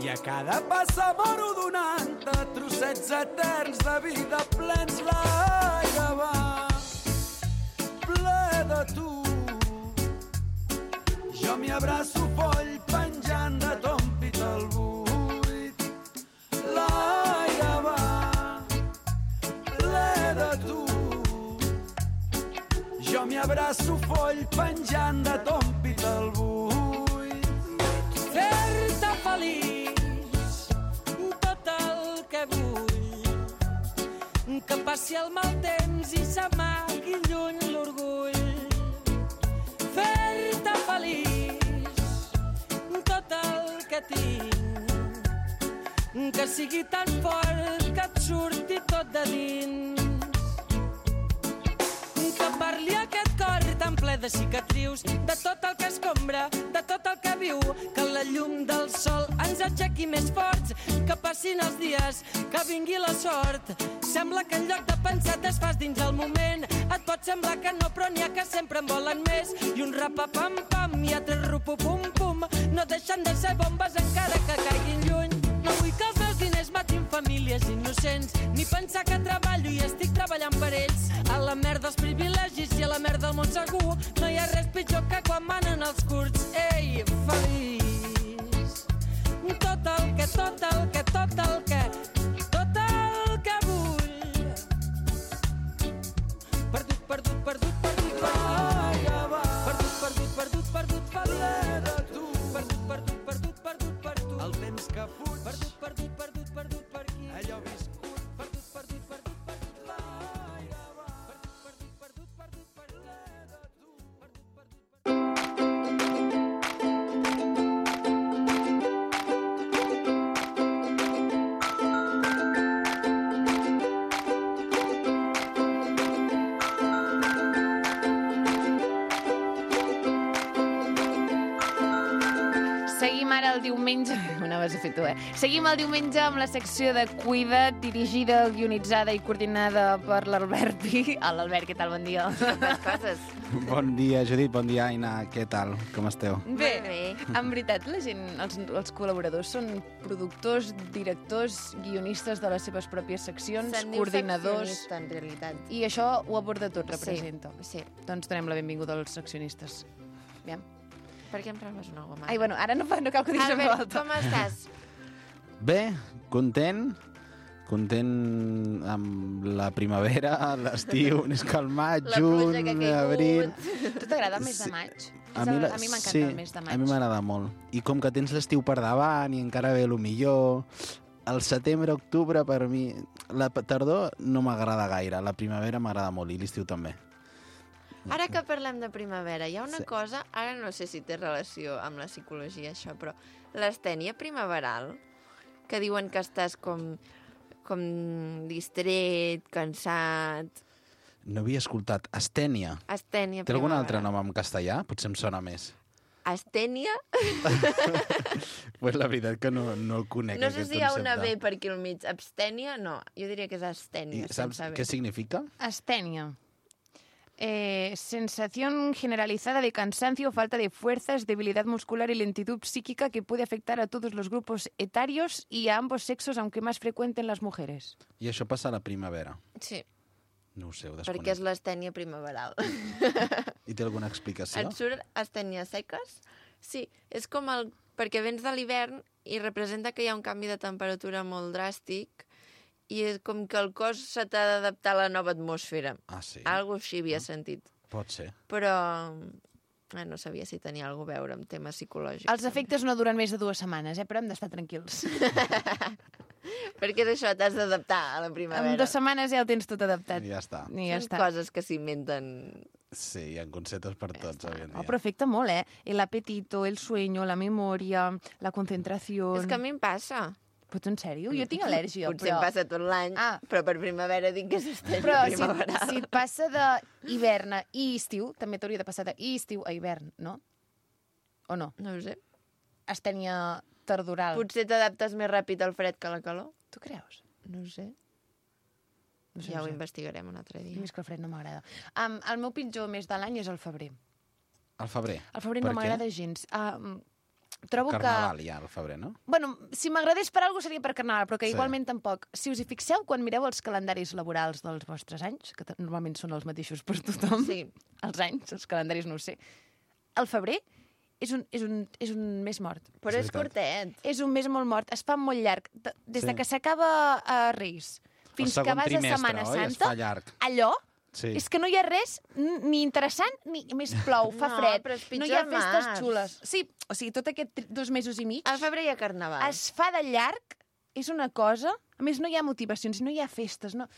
I a cada passa moro donant-te trossets eterns de vida plens. L'aire va ple de tu, jo m'hi abraço foll penjant de ton pit al buit. L'aire va ple de tu, jo m'hi abraço foll penjant de ton pit al buit. Fer-te feliç, tot el que vull, que passi el mal temps i s'amagui lluny l'orgull. Fer-te feliç, tot el que tinc, que sigui tan fort que et surti tot de dins. Que parli aquest cor tan ple de cicatrius, de tot el que escombra, de tot el que viu, que la llum del sol ens aixequi més forts, que passin els dies, que vingui la sort. Sembla que en lloc de pensar et desfas dins el moment, et pot semblar que no, però n'hi ha que sempre en volen més, i un rapapam-pam i altres rupupum-pum no deixen de ser bombes encara que caiguin lluny. No vull que els meus diners matin famílies innocents, ni pensar que treballo i estic treballant per ells. A la merda els privilegis i a la merda el món segur, no hi ha res pitjor que quan manen els curts. Ei, feliç, tot el que, tot el que, tot el que, tot el que ara el diumenge... Ho anaves a fer tu, Seguim el diumenge amb la secció de Cuida't, dirigida, guionitzada i coordinada per l'Albert Pi. L'Albert, què tal? Bon dia. Tantes coses. Bon dia, Judit. Bon dia, Aina. Què tal? Com esteu? Bé, en veritat, la gent, els col·laboradors són productors, directors, guionistes de les seves pròpies seccions, coordinadors... Se'n diu seccionista, en realitat. I això ho aborda tot, representa. Sí. Doncs donem la benvinguda als seccionistes. Aviam. Per què em pregues una goma? Ai, bueno, ara no cal que diguis en Albert, volta. com estàs? Bé, content amb la primavera, l'estiu, és que el maig, La pluja juny, que ha caigut. abril... Tu t'agrada el mes de maig? A mi m'encanta el mes de maig. a mi m'agrada molt. I com que tens l'estiu per davant i encara ve el millor... El setembre, octubre, per mi... La tardor no m'agrada gaire, la primavera m'agrada molt i l'estiu també. Ara que parlem de primavera, hi ha una cosa, ara no sé si té relació amb la psicologia això, però l'astènia primaveral, que diuen que estàs com distret, cansat... No havia escoltat. Astènia. Astènia Té algun primaveral. altre nom en castellà? Potser em sona més. Astènia? Pues la veritat que no el conec, No sé aquest si hi ha una concepte. B per aquí al mig. Abstènia? No, jo diria que és astènia. I saps sense B. què significa? Astenia. Sensación generalizada de cansancio, falta de fuerzas, debilidad muscular y lentitud psíquica que puede afectar a todos los grupos etarios y a ambos sexos, aunque más frecuente en las mujeres. I això passa a la primavera. Sí, No ho sé, ho perquè desconec. és l'astènia primaveral. I té alguna explicació? Et surt astènies seques? Sí, és com el... perquè vens de l'hivern i representa que hi ha un canvi de temperatura molt dràstic i és com que el cos se t'ha d'adaptar a la nova atmosfera. Ah, sí? Algo així havia sentit. Pot ser. Però no sabia si tenia alguna a veure amb temes psicològics. Els efectes no duren més de 2 setmanes, però hem d'estar tranquils. Perquè és això, t'has d'adaptar a la primavera. En 2 setmanes ja ho tens tot adaptat. I ja està. I ja Són està. coses que s'inventen. Sí, hi ha conceptes per tots avui en Oh, dia. però afecta molt, El apetito, el sueño, la memoria, la concentració... És que a mi em passa. Però tu, en sèrio? Jo tinc al·lèrgia, Potser però... em passa tot l'any, però per primavera dic que és astènia Però primaveral. si et passa d'hivern i estiu, també t'hauria de passar d'estiu a hivern, no? O no? No ho sé. Astènia tardoral. Potser t'adaptes més ràpid al fred que a la calor? Tu creus? No ho sé. No sé, Ja no ho sé. investigarem un altre dia. Més que el fred no m'agrada. El meu pitjor mes de l'any és el febrer. Al febrer. El febrer Per no què? m'agrada gens. Trobo Carnaval que... ja, al febrer, no? Bueno, si m'agradés per alguna cosa seria per Carnaval, però que Sí. igualment tampoc. Si us hi fixeu, quan mireu els calendaris laborals dels vostres anys, que normalment són els mateixos per tothom, Sí. els anys, els calendaris no ho sé, el febrer és un mes mort. Però és curtet. És un mes molt mort, es fa molt llarg. Des de Sí. que s'acaba Reis fins que segon vas a trimestre, Setmana oi? Es Santa, fa llarg. allò Sí. és que no hi ha res ni interessant, ni a més plou, fa No, fred, però és no pitjor hi ha al festes març. xules. Sí, o sigui, tot aquest 2 mesos i mig Al febrer hi ha carnaval. es fa de llarg, és una cosa... A més, no hi ha motivacions, no hi ha festes, no... A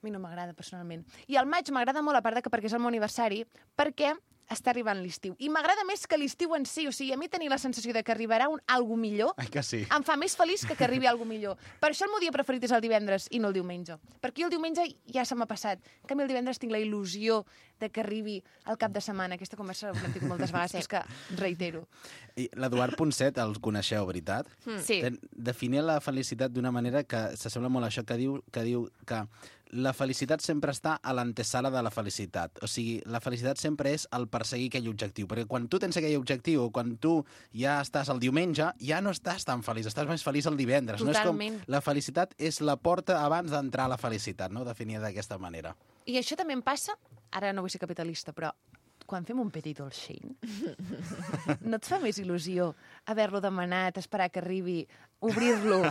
mi no m'agrada, personalment. I el maig m'agrada molt, a part de que perquè és el meu aniversari, perquè està arribant l'estiu. I m'agrada més que l'estiu en si. O sigui, a mi tenir la sensació de que arribarà algo millor Ai, que sí. em fa més feliç que arribi algo millor. Per això el meu dia preferit és el divendres i no el diumenge. Perquè jo el diumenge ja se m'ha passat. En canvi, el divendres tinc la il·lusió de que arribi el cap de setmana. Aquesta conversa l'hem tingut moltes vegades, però és que reitero. I l'Eduard Ponset, el coneixeu, veritat? Sí. Definia la felicitat d'una manera que s'assembla molt a això, que diu que la felicitat sempre està a l'antesala de la felicitat. O sigui, la felicitat sempre és el perseguir aquell objectiu. Perquè quan tu tens aquell objectiu, quan tu ja estàs el diumenge, ja no estàs tan feliç, estàs més feliç el divendres. Totalment. No és com la felicitat és la porta abans d'entrar a la felicitat, no? Definida d'aquesta manera. I això també em passa, ara no vull ser capitalista, però quan fem un petit dolçain, no et fa més il·lusió haver-lo demanat, esperar que arribi, obrir-lo,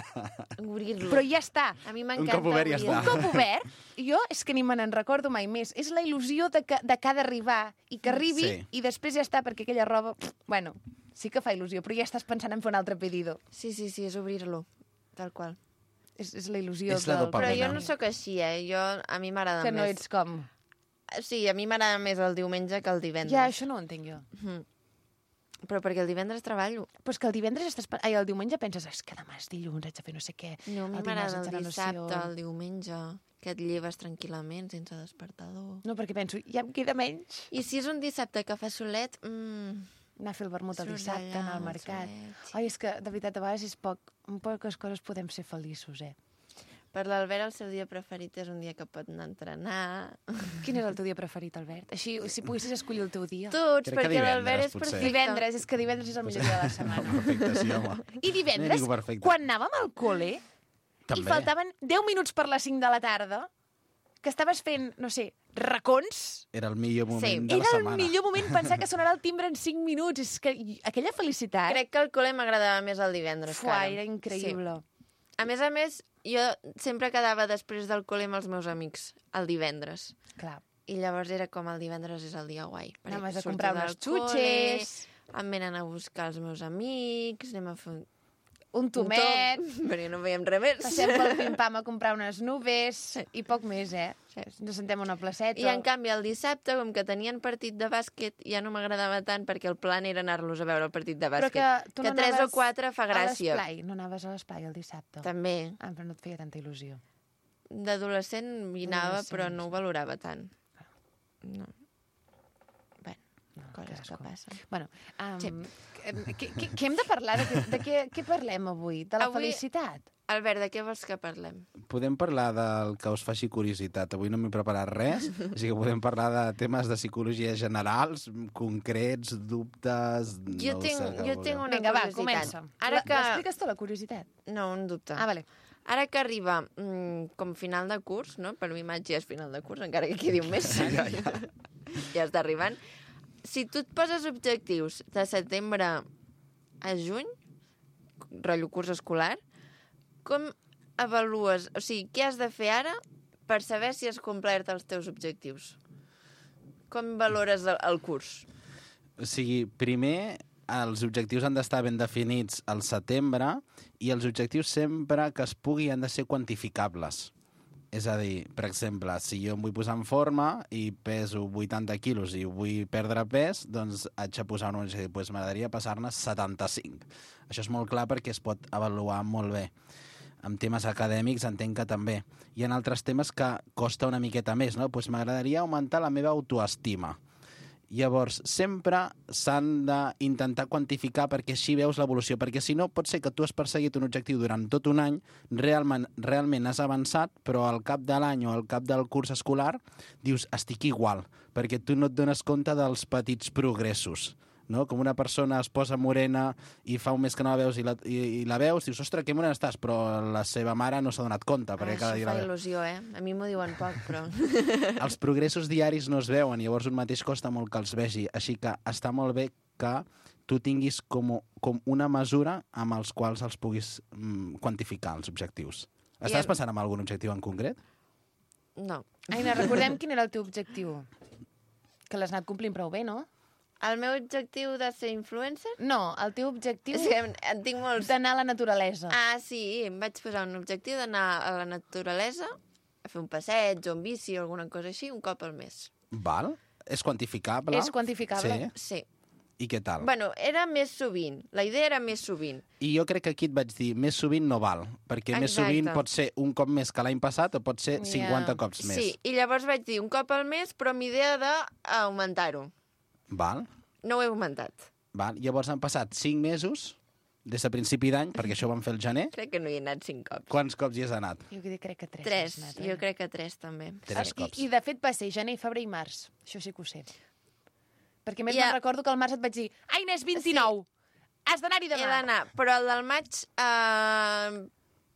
Obrir-lo. però ja està. A mi m'encanta cop obert ja obrir-lo. Un cop obert, jo és que ni me n'en recordo mai més. És la il·lusió de que ha d'arribar i que arribi Sí. i després ja està, perquè aquella roba... Bueno, sí que fa il·lusió, però ja estàs pensant en fer un altre pedido. Sí, és obrir-lo. Tal qual. És la il·lusió És la del... dopamina. Però jo no sóc així, A mi m'agrada Que no més. ets com... Sí, a mi m'agrada més el diumenge que el divendres. Ja, això no ho entenc jo. Però perquè el divendres treballo. Però és que el divendres estàs... Ai, el diumenge penses, és que demà és dilluns, haig de fer no sé què. No, a mi El dimarts m'agrada haig el d'anar a dissabte, noció. el diumenge, que et lleves tranquil·lament, sense despertador. No, perquè penso, ja em queda menys. I si és un dissabte que fa solet, Anar a fer el vermut el Surts dissabte, allà, anar al al mercat. solet, sí. Ai, és que, de veritat, a vegades amb poques coses podem ser feliços, Per l'Albert, el seu dia preferit és un dia que pot anar a entrenar. Quin és el teu dia preferit, Albert? Així, si poguessis escollir el teu dia. Tots, Crec que perquè l'Albert divendres, és potser. perfecte. És que divendres és el millor dia de la setmana. Perfecte, sí, home. I divendres, Ningú perfecte. quan anàvem al col·le, També. i faltaven 10 minuts per les 5 de la tarda, que estaves fent, no sé, racons, Era el millor moment Sí, de la era el setmana. millor moment pensar que sonarà el timbre en 5 minuts. És que aquella felicitat... Crec que el col·le m'agradava més el divendres. Fuà, que ara. era increïble. Sí. A més, jo sempre quedava després del col·le amb els meus amics, el divendres. Clar. I llavors era com el divendres és el dia guai. perquè Anaves a surto comprar del unes xutxes, col·le, em venen a buscar els meus amics, anem a fer un tomet, perquè no veiem res més. passem pel pim-pam a comprar unes nubes i poc més, Sí. Ens sentem a una placeta. I en canvi el dissabte, com que tenien partit de bàsquet, ja no m'agradava tant perquè el plan era anar-los a veure el partit de Però bàsquet. que tu no que 3 o anaves 4 fa gràcia. A l'esplai, no anaves a l'esplai el dissabte. També. Ah, però no et feia tanta il·lusió. D'adolescent hi anava, D'adolescent, però no ho sí. valorava tant. No. Bé, coses que que passen. Bueno, Sí. què hem de parlar? Què parlem avui? De la Avui- felicitat? Albert, de què vols que parlem? Podem parlar del que us faci curiositat. Avui no m'he preparat res, així que podem parlar de temes de psicologia generals, concrets, dubtes... Jo tinc una Vinga, va, curiositat. comença. Ara que... L'expliques tu, la curiositat? No, un dubte. Ah, vale. Ara que arriba com final de curs, no? Per mi maig ja és final de curs, encara que quedi un mes. Ja està arribant. Si tu et poses objectius de setembre a juny, rotllo curs escolar, com avalues, o sigui, què has de fer ara per saber si has complert els teus objectius? Com valores el curs? O sigui, primer, els objectius han d'estar ben definits al setembre i els objectius sempre que es pugui han de ser quantificables. És a dir, per exemple, si jo em vull posar en forma i peso 80 quilos i vull perdre pes, doncs haig de posar un objectiu. Doncs m'agradaria passar-ne 75. Això és molt clar perquè es pot avaluar molt bé. En temes acadèmics entenc que també. Hi ha altres temes que costa una miqueta més, no? Doncs m'agradaria augmentar la meva autoestima. Llavors, sempre s'han d'intentar quantificar perquè així veus l'evolució, perquè si no pot ser que tu has perseguit un objectiu durant tot un any, realment has avançat, però al cap de l'any o al cap del curs escolar dius, estic igual, perquè tu no et dones compte dels petits progressos. No? Com una persona es posa morena i fa un mes que no la veus i la veus, dius, ostres, que morena estàs, però la seva mare no s'ha donat compte. Perquè cada Això dia fa la veu. il·lusió, eh? A mi m'ho diuen poc, però... Els progressos diaris no es veuen, llavors un mateix costa molt que els vegi, així que està molt bé que tu tinguis com una mesura amb els quals els puguis quantificar, els objectius. Estàs pensant en algun objectiu en concret? No. Aina, recordem quin era el teu objectiu. Que l'has anat complint prou bé, no? El meu objectiu de ser influencer? No, el teu objectiu... És que en tinc molts. D'anar a la naturalesa. Ah, sí, em vaig posar un objectiu d'anar a la naturalesa, a fer un passeig o un bici o alguna cosa així, un cop al mes. Val? És quantificable? És quantificable. Sí. Sí. I què tal? Bueno, era més sovint. La idea era més sovint. I jo crec que aquí et vaig dir, més sovint no val, perquè més Exacte. sovint pot ser un cop més que l'any passat o pot ser 50 cops més. Sí, i llavors vaig dir un cop al mes, però amb idea d'augmentar-ho. Val? No ho he augmentat. Val? Llavors han passat 5 mesos, des de principi d'any, perquè això ho vam fer el gener. Crec que no hi he anat 5 cops. Quants cops hi has anat? Jo crec que 3. 3, jo crec que 3 també. 3 cops. I de fet va ser gener, febrer i març. Això sí que ho sé. Perquè més Ja. me'n recordo que al març et vaig dir Aina, és 29! Has d'anar-hi demà! He d'anar, però el del maig...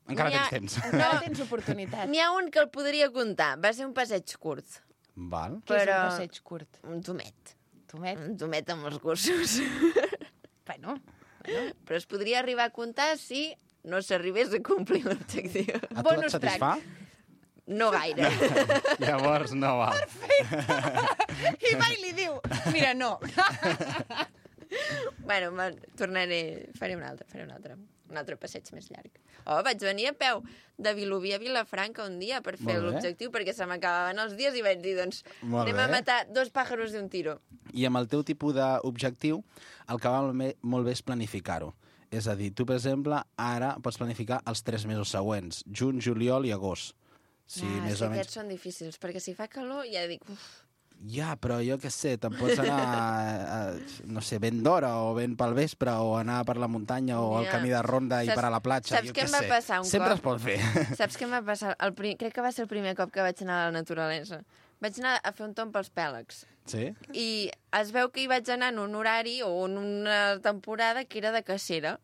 Encara n'hi ha- tens temps. Encara tens oportunitat. N'hi ha un que el podria comptar. Va ser un passeig curt. Val? Què és però- un passeig curt? Un tomet. Tomet? Un tomet amb els cursos. Bueno, Però es podria arribar a comptar si no s'arribés a complir l'objectiu. A tu et bonus satisfà? No gaire. Llavors no val. i va i li diu, mira, no. Bueno, faré un altre passeig més llarg. Oh, vaig venir a peu de Vilobí a Vilafranca un dia per fer Molt bé. l'objectiu, perquè se m'acabaven els dies i vaig dir, doncs, Molt anem a bé. matar 2 pájaros d'un tiro. I amb el teu tipus d'objectiu, el que va molt bé és planificar-ho. És a dir, tu, per exemple, ara pots planificar els 3 mesos següents, juny, juliol i agost. Sí, és més que o menys. aquests són difícils, perquè si fa calor ja dic, uf, Ja, però jo què sé, te'n pots anar, no sé, ben d'hora o ben pel vespre o anar per la muntanya o al camí de ronda i parar a la platja. Saps què em va passar un cop? Sempre es pot fer. Saps què em va passar? Crec que va ser el primer cop que vaig anar a la naturalesa. Vaig anar a fer un tomb pels pèlegs. Sí? I es veu que hi vaig anar en un horari o en una temporada que era de cacera.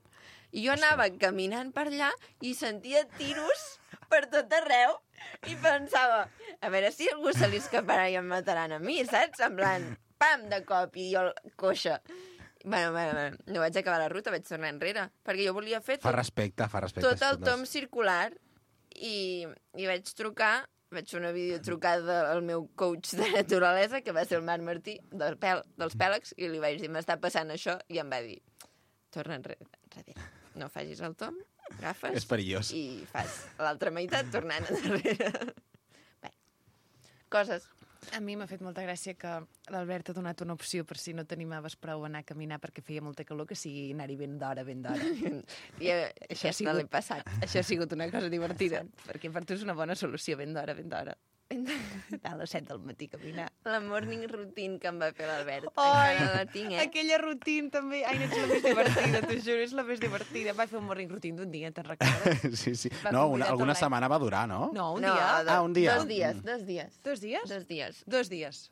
I jo anava caminant per allà i sentia tiros per tot arreu i pensava, a veure si algú se li escaparà i em mataran a mi, saps? En plan, pam, de cop, i jo coixa. Bueno, no vaig acabar la ruta, vaig tornar enrere, perquè jo volia fer Fa respecte. tot el tomb circular i vaig trucar, vaig fer una videotrucada al meu coach de naturalesa, que va ser el Marc Martí, dels pèlegs, i li vaig dir, m'està passant això, i em va dir, torna enrere, no facis el tomb, agafes... És perillós. I fas l'altra meitat tornant enrere. Bé, coses. A mi m'ha fet molta gràcia que l'Albert ha donat una opció per si no t'animaves prou a anar a caminar perquè feia molta calor, que sigui anar-hi ben d'hora. I això l'he passat. Això ha sigut una cosa divertida, perquè per tu és una bona solució, ben d'hora. A les 7 del matí caminar. La morning routine que em va fer l'Albert. Ai, encara la tinc, aquella routine també. Ai, no ets la més divertida, t'ho juro, és la més divertida. Va fer un morning routine d'un dia, te'n recordes? Sí. Va No, convidar alguna tot l'any. setmana va durar, no? No, un dia. un dia. 2 dies, 2 dies. 2 dies? 2 dies. 2 dies.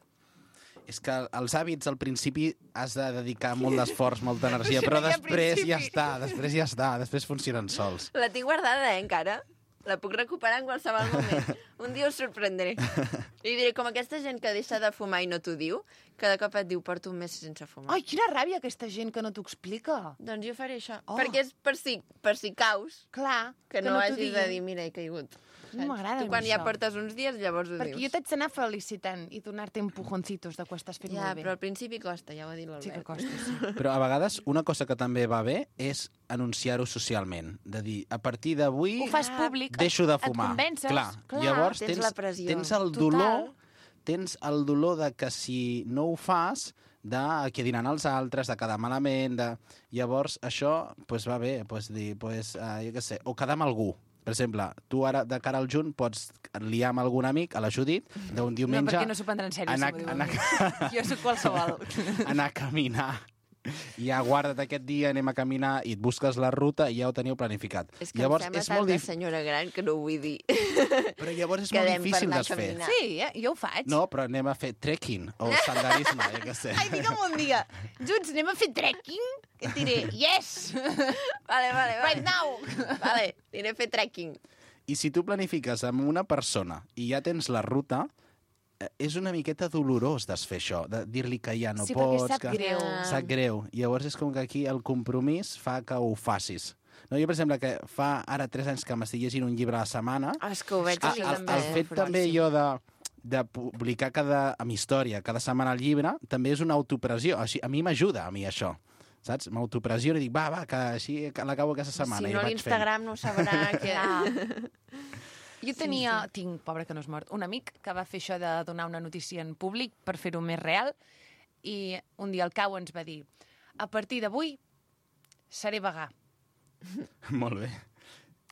És que els hàbits al principi has de dedicar molt d'esforç, molta energia, Això però no hi ha després ja principi. està, després funcionen sols. La tinc guardada, encara. La puc recuperar en qualsevol moment. Un dia us sorprendré. I diré, com aquesta gent que deixa de fumar i no t'ho diu, cada cop et diu, porto un mes sense fumar. Ai, quina ràbia aquesta gent que no t'ho explica. Doncs jo faré això. Oh. Perquè és per si caus, Clar, que no t'ho hagis de diguin. dir, mira, he caigut. No m'agrada Tu quan ja això. portes uns dies, llavors ho Perquè jo dius. t'haig d'anar felicitant i donar-te empujoncitos de que ho estàs fent Ja, molt bé. però al principi costa, ja ho ha dit l'Albert. Sí que costa, sí. Però a vegades una cosa que també va bé és anunciar-ho socialment. De dir, a partir d'avui Ho fas públic, deixo de et fumar. convences, clar. Llavors Tens la pressió. tens el dolor de que si no ho fas de que diran els altres, de quedar malament, llavors això pues, va bé, pues, dir, pues, jo què sé, o quedar amb algú. Per exemple, tu ara, de cara al juny, pots liar amb algun amic, a la Judit, d'un diumenge... No, perquè no s'ho prendrà en sèrio, si m'ho diu. Jo sóc qualsevol. anar a caminar. Ja guarda't aquest dia, anem a caminar i et busques la ruta i ja ho teniu planificat. És que llavors, em sembla tant de senyora gran que no ho vull dir. Però llavors és Quedem molt difícil per anar a desfer. caminar. Sí, jo ho faig. No, però anem a fer trekking o senderisme, jo què sé. Ai, digue'm un dia, Junts, anem a fer trekking? Que et diré, yes! Vale. Right now! Vale, aniré a fer trekking. I si tu planifiques amb una persona i ja tens la ruta, és una miqueta dolorós desfer això, de dir-li que ja no Sí, perquè pots... sap que... greu. Sap greu. Llavors és com que aquí el compromís fa que ho facis. No, jo, per exemple, que fa ara 3 anys que m'estic llegint un llibre a la setmana... És que ho veig això també. El fet també jo de publicar amb història cada setmana el llibre també és una autopressió. Així, a mi m'ajuda, a mi, això. Saps? M'autopressiono i dic, va, que així l'acabo aquesta setmana. Si i no, vaig l'Instagram no ho sabrà. Que... Jo tinc, pobre que no és mort, un amic que va fer això de donar una notícia en públic per fer-ho més real i un dia al cau ens va dir a partir d'avui seré vegà. Molt bé.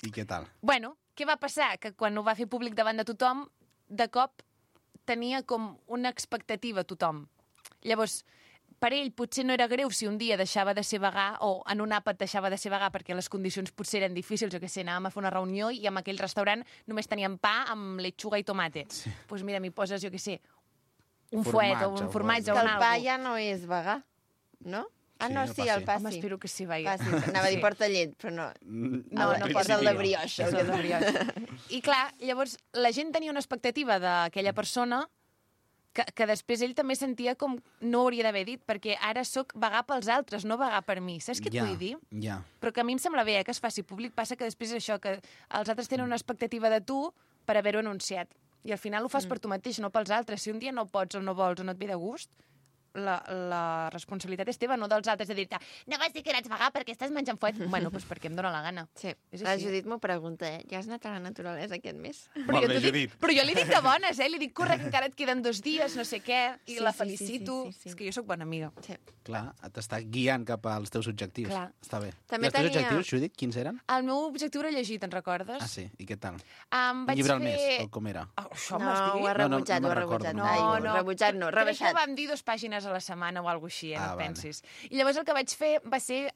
I què tal? Bueno, què va passar? Que quan ho va fer públic davant de tothom, de cop tenia com una expectativa tothom. Llavors, per ell potser no era greu si un dia deixava de ser vegà o en un àpat deixava de ser vegà perquè les condicions potser eren difícils, jo què sé, anàvem a fer una reunió i en aquell restaurant només teníem pa amb lechuga i tomate. Doncs pues mira, m'hi poses, jo què sé, un fuet o un formatge o Que un el pa algo. ja no és vegà, no? Ah, Sí, no, el sí, pa el pa Home, sí. espero que sí, vaja. Pa sí. Anava a dir porta llet, però no. No, no porta és el de brioche. És el de brioche. I clar, llavors, la gent tenia una expectativa d'aquella persona que després ell també sentia com no hauria d'haver dit, perquè ara sóc vegà pels altres, no vegà per mi. Saps què et vull dir? Ja. Però que a mi em sembla bé que es faci públic, passa que després és això, que els altres tenen una expectativa de tu per haver-ho anunciat. I al final ho fas per tu mateix, no pels altres. Si un dia no pots o no vols o no et ve de gust, la responsabilitat és teva, no dels altres, de dir-te no vas dir que eres vegà perquè estàs menjant fuet. Bueno, doncs perquè em dóna la gana. Sí, És la així. Judit m'ho pregunta, ja has anat a la naturalesa aquest mes? Molt bé, Judit. Però jo li dic de bones, li dic, corre, que encara et queden 2 dies, no sé què, i Sí, la sí, felicito. sí. És que jo sóc bona amiga. Sí. Clar, t'està guiant cap als teus objectius. Clar. Està bé. També I els teus tenia- objectius, Judit, quins eren? El meu objectiu era llegir, te'n recordes? Ah, sí? I què tal? Vaig Un llibre al fer... mes, o com era? Això No, m'has dit? ho ha No, rebutjat, no ho ha me'n recordo, rebutjat. no. Ai, rebutjat no, Crec rebaixat. que vam dir 2 pàgines a la setmana o alguna així, no vale. pensis. I llavors el que vaig fer va ser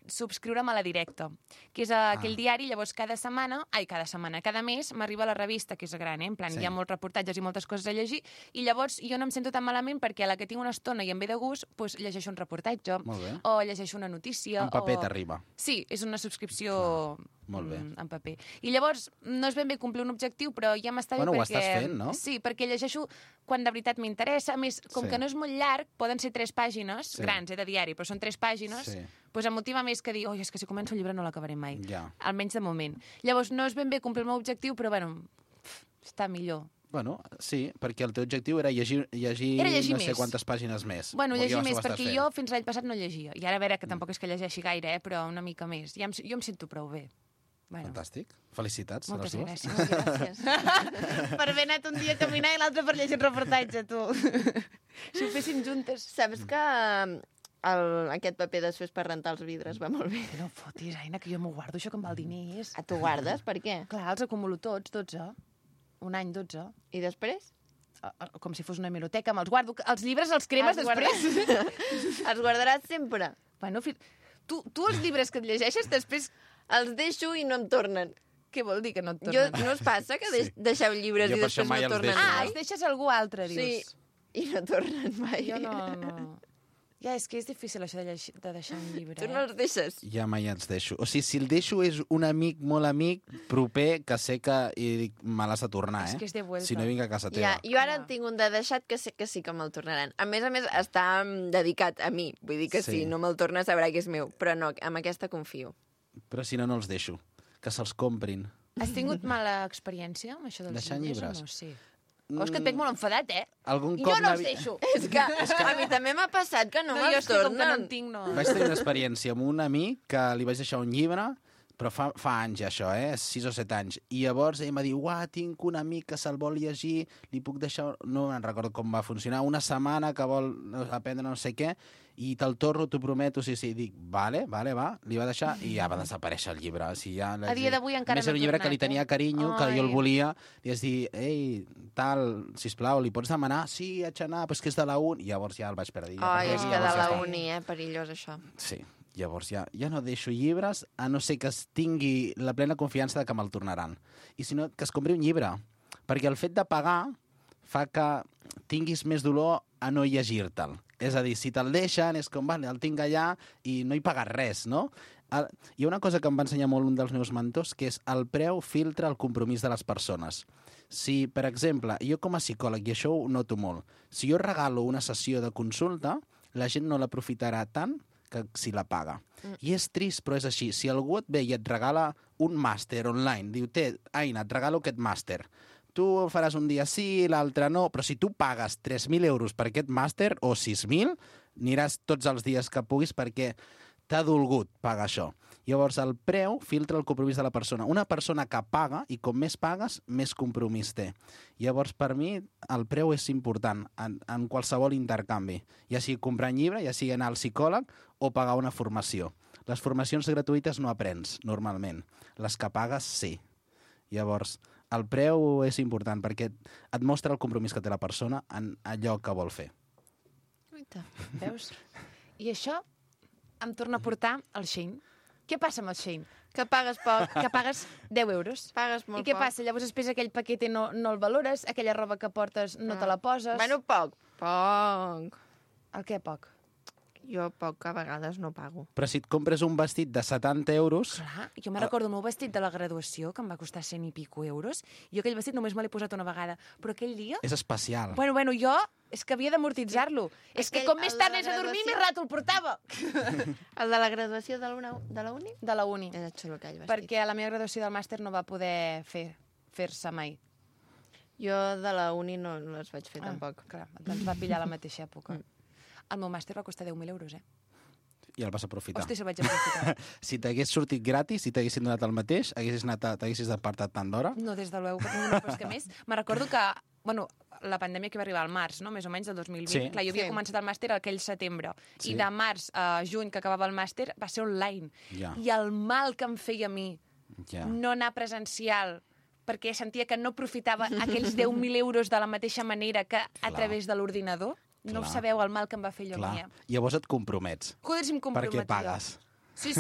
subscriure'm a La Directa, que és aquell diari, llavors cada mes m'arriba la revista, que és gran, en plan, Sí. hi ha molts reportatges i moltes coses a llegir, i llavors jo no em sento tan malament perquè a la que tinc una estona i em ve de gust, doncs llegeixo un reportatge, Molt bé. o llegeixo una notícia. En paper o... t'arriba. Sí, és una subscripció Molt bé. en paper. I llavors, no és ben bé complir un objectiu, però ja m'està bé Bueno, ho perquè... estàs fent, no? Sí, perquè llegeixo quan de veritat m'interessa. A més, com Sí. que no és molt llarg, poden ser 3 pàgines, Sí. grans, de diari, però són 3 pàgines, Sí. doncs em motiva més que dir, oi, és que si començo el llibre no l'acabaré mai. Ja. Almenys de moment. Llavors, no és ben bé complir el meu objectiu, però, bueno, està millor. Bueno, sí, perquè el teu objectiu era llegir Era llegir no sé més. quantes pàgines més. Bueno, Perquè llegir ja ho més, estàs perquè fent. jo fins l'any passat no llegia. I ara, a veure, que tampoc és que llegeixi gaire, però una mica més. Jo em sento prou bé. Bueno. Fantàstic. Felicitats Moltes a les dues. gràcies. Per haver anat un dia a caminar i l'altre per llegir un reportatge, tu. Si ho féssim juntes. Saps que aquest paper després per rentar els vidres va molt bé? No fotis, Aina, que jo m'ho guardo, això que em val diners. Ah, tu guardes? Per què? Clar, els acumulo tots, 12. Un any, 12. I després? Com si fos una hemeroteca, me'ls guardo. Els llibres els cremes després. Els guardaràs sempre? Bueno, tu els llibres que et llegeixes després... Els deixo i no em tornen. Què vol dir que no et Jo, tornen? no us passa que deixeu llibres Jo i per això després mai no els tornen deixo. Ah, mai? els deixes a algú altre, dius. Sí, i no tornen mai. Jo no. Ja, és que és difícil això de deixar un llibre. Tu no els deixes? Ja mai els deixo. O sigui, si el deixo és un amic, molt amic, proper, que sé que i dic, me l'has de tornar, És que és de vuelta. Si no vinc a casa teva. Ja, jo ara en tinc un de deixat que sé que sí que me'l tornaran. A més, està dedicat a mi. Vull dir que Sí. si no me'l torna sabrà que és meu. Però no, amb aquesta confio. Però si no, no els deixo. Que se'ls comprin. Has tingut mala experiència amb això dels Deixant llibres? llibres? O no? Sí. Oh, és que et veig molt enfadat, Algun I cop jo no n'ha- els deixo. És que a mi també m'ha passat que no jo me'ls és que com que no tornen. en tinc, no. Vaig tenir una experiència amb un amic que li vaig deixar un llibre, però fa anys, això, 6 o 7 anys. I llavors ell em va dir, tinc un amic que se'l vol llegir, li puc deixar... No me'n recordo com va funcionar. Una setmana que vol aprendre no sé què, i te'l torno, t'ho prometo, sí. Dic, vale, va. Li va deixar i ja va desaparèixer el llibre. O sigui, ja A dia d'avui encara no no ha era un llibre que tornat, li tenia carinyo, que jo el volia, i és dir, ei, tal, sisplau, li pots demanar? Sí, haig d'anar, però és que és de la uni. I llavors ja el vaig perdir. Ai, és que de la està. uni, perillós, això. Sí, llavors ja no deixo llibres, a no ser que es tingui la plena confiança de que me'l tornaran. I si no, que es compri un llibre. Perquè el fet de pagar fa que tinguis més dolor a no llegir-te'l. És a dir, si te'l deixen, és com, vale, el tinc allà i no hi pagues res, no? Hi ha una cosa que em va ensenyar molt un dels meus mentors, que és el preu filtra el compromís de les persones. Si, per exemple, jo com a psicòleg, i això ho noto molt, si jo regalo una sessió de consulta, la gent no l'aprofitarà tant que si la paga. I és trist, però és així. Si algú et ve i et regala un màster online, diu, Aina, et regalo aquest màster. Tu faràs un dia sí, l'altre no, però si tu pagues 3.000 euros per aquest màster, o 6.000, aniràs tots els dies que puguis perquè t'ha dolgut pagar això. Llavors, el preu filtra el compromís de la persona. Una persona que paga, i com més pagues, més compromís té. Llavors, per mi, el preu és important en qualsevol intercanvi. Ja sigui comprar un llibre, ja sigui anar al psicòleg o pagar una formació. Les formacions gratuïtes no aprens, normalment. Les que pagues, sí. Llavors, el preu és important perquè et mostra el compromís que té la persona en allò que vol fer. Veus? I això em torna a portar el Shein. Què passa amb el Shein? Que pagues poc. Que pagues 10 euros. Pagues molt I què poc. passa? Llavors després aquell paquete no el valores, aquella roba que portes no te la poses. Bueno, poc. El què poc? Jo poc a vegades no pago. Però si et compres un vestit de 70 euros... Clar, jo me'n recordo el meu vestit de la graduació, que em va costar 100 i pico euros, i jo aquell vestit només me l'he posat una vegada. Però aquell dia... És especial. Bueno, jo és que havia d'amortitzar-lo. És que com més el de tard la anés a dormir, graduació? més rato el portava. El de la graduació de la uni? De la uni. És xulo aquell vestit. Perquè a la meva graduació del màster no va poder fer-se mai. Jo de la uni no les vaig fer tampoc. Clar, doncs va pillar a la mateixa època. El meu màster va costar 10.000 euros, I el vas aprofitar. Hosti, se'l vaig aprofitar. Si t'hagués sortit gratis, si t'haguessin donat el mateix, t'haguessis apartat tant d'hora? No, des de l'eu, però és que a més, me recordo que, la pandèmia que va arribar al març, no? Més o menys, del 2020. Sí. Clar, jo havia començat el màster aquell setembre. Sí. I de març a juny, que acabava el màster, va ser online. Ja. I el mal que em feia a mi no anar presencial, perquè sentia que no aprofitava aquells 10.000 euros de la mateixa manera que a través de l'ordinador. No sabeu el mal que em va fer allò a mi. Llavors et compromets. Joder, si em comprometia. Perquè pagues. Sí.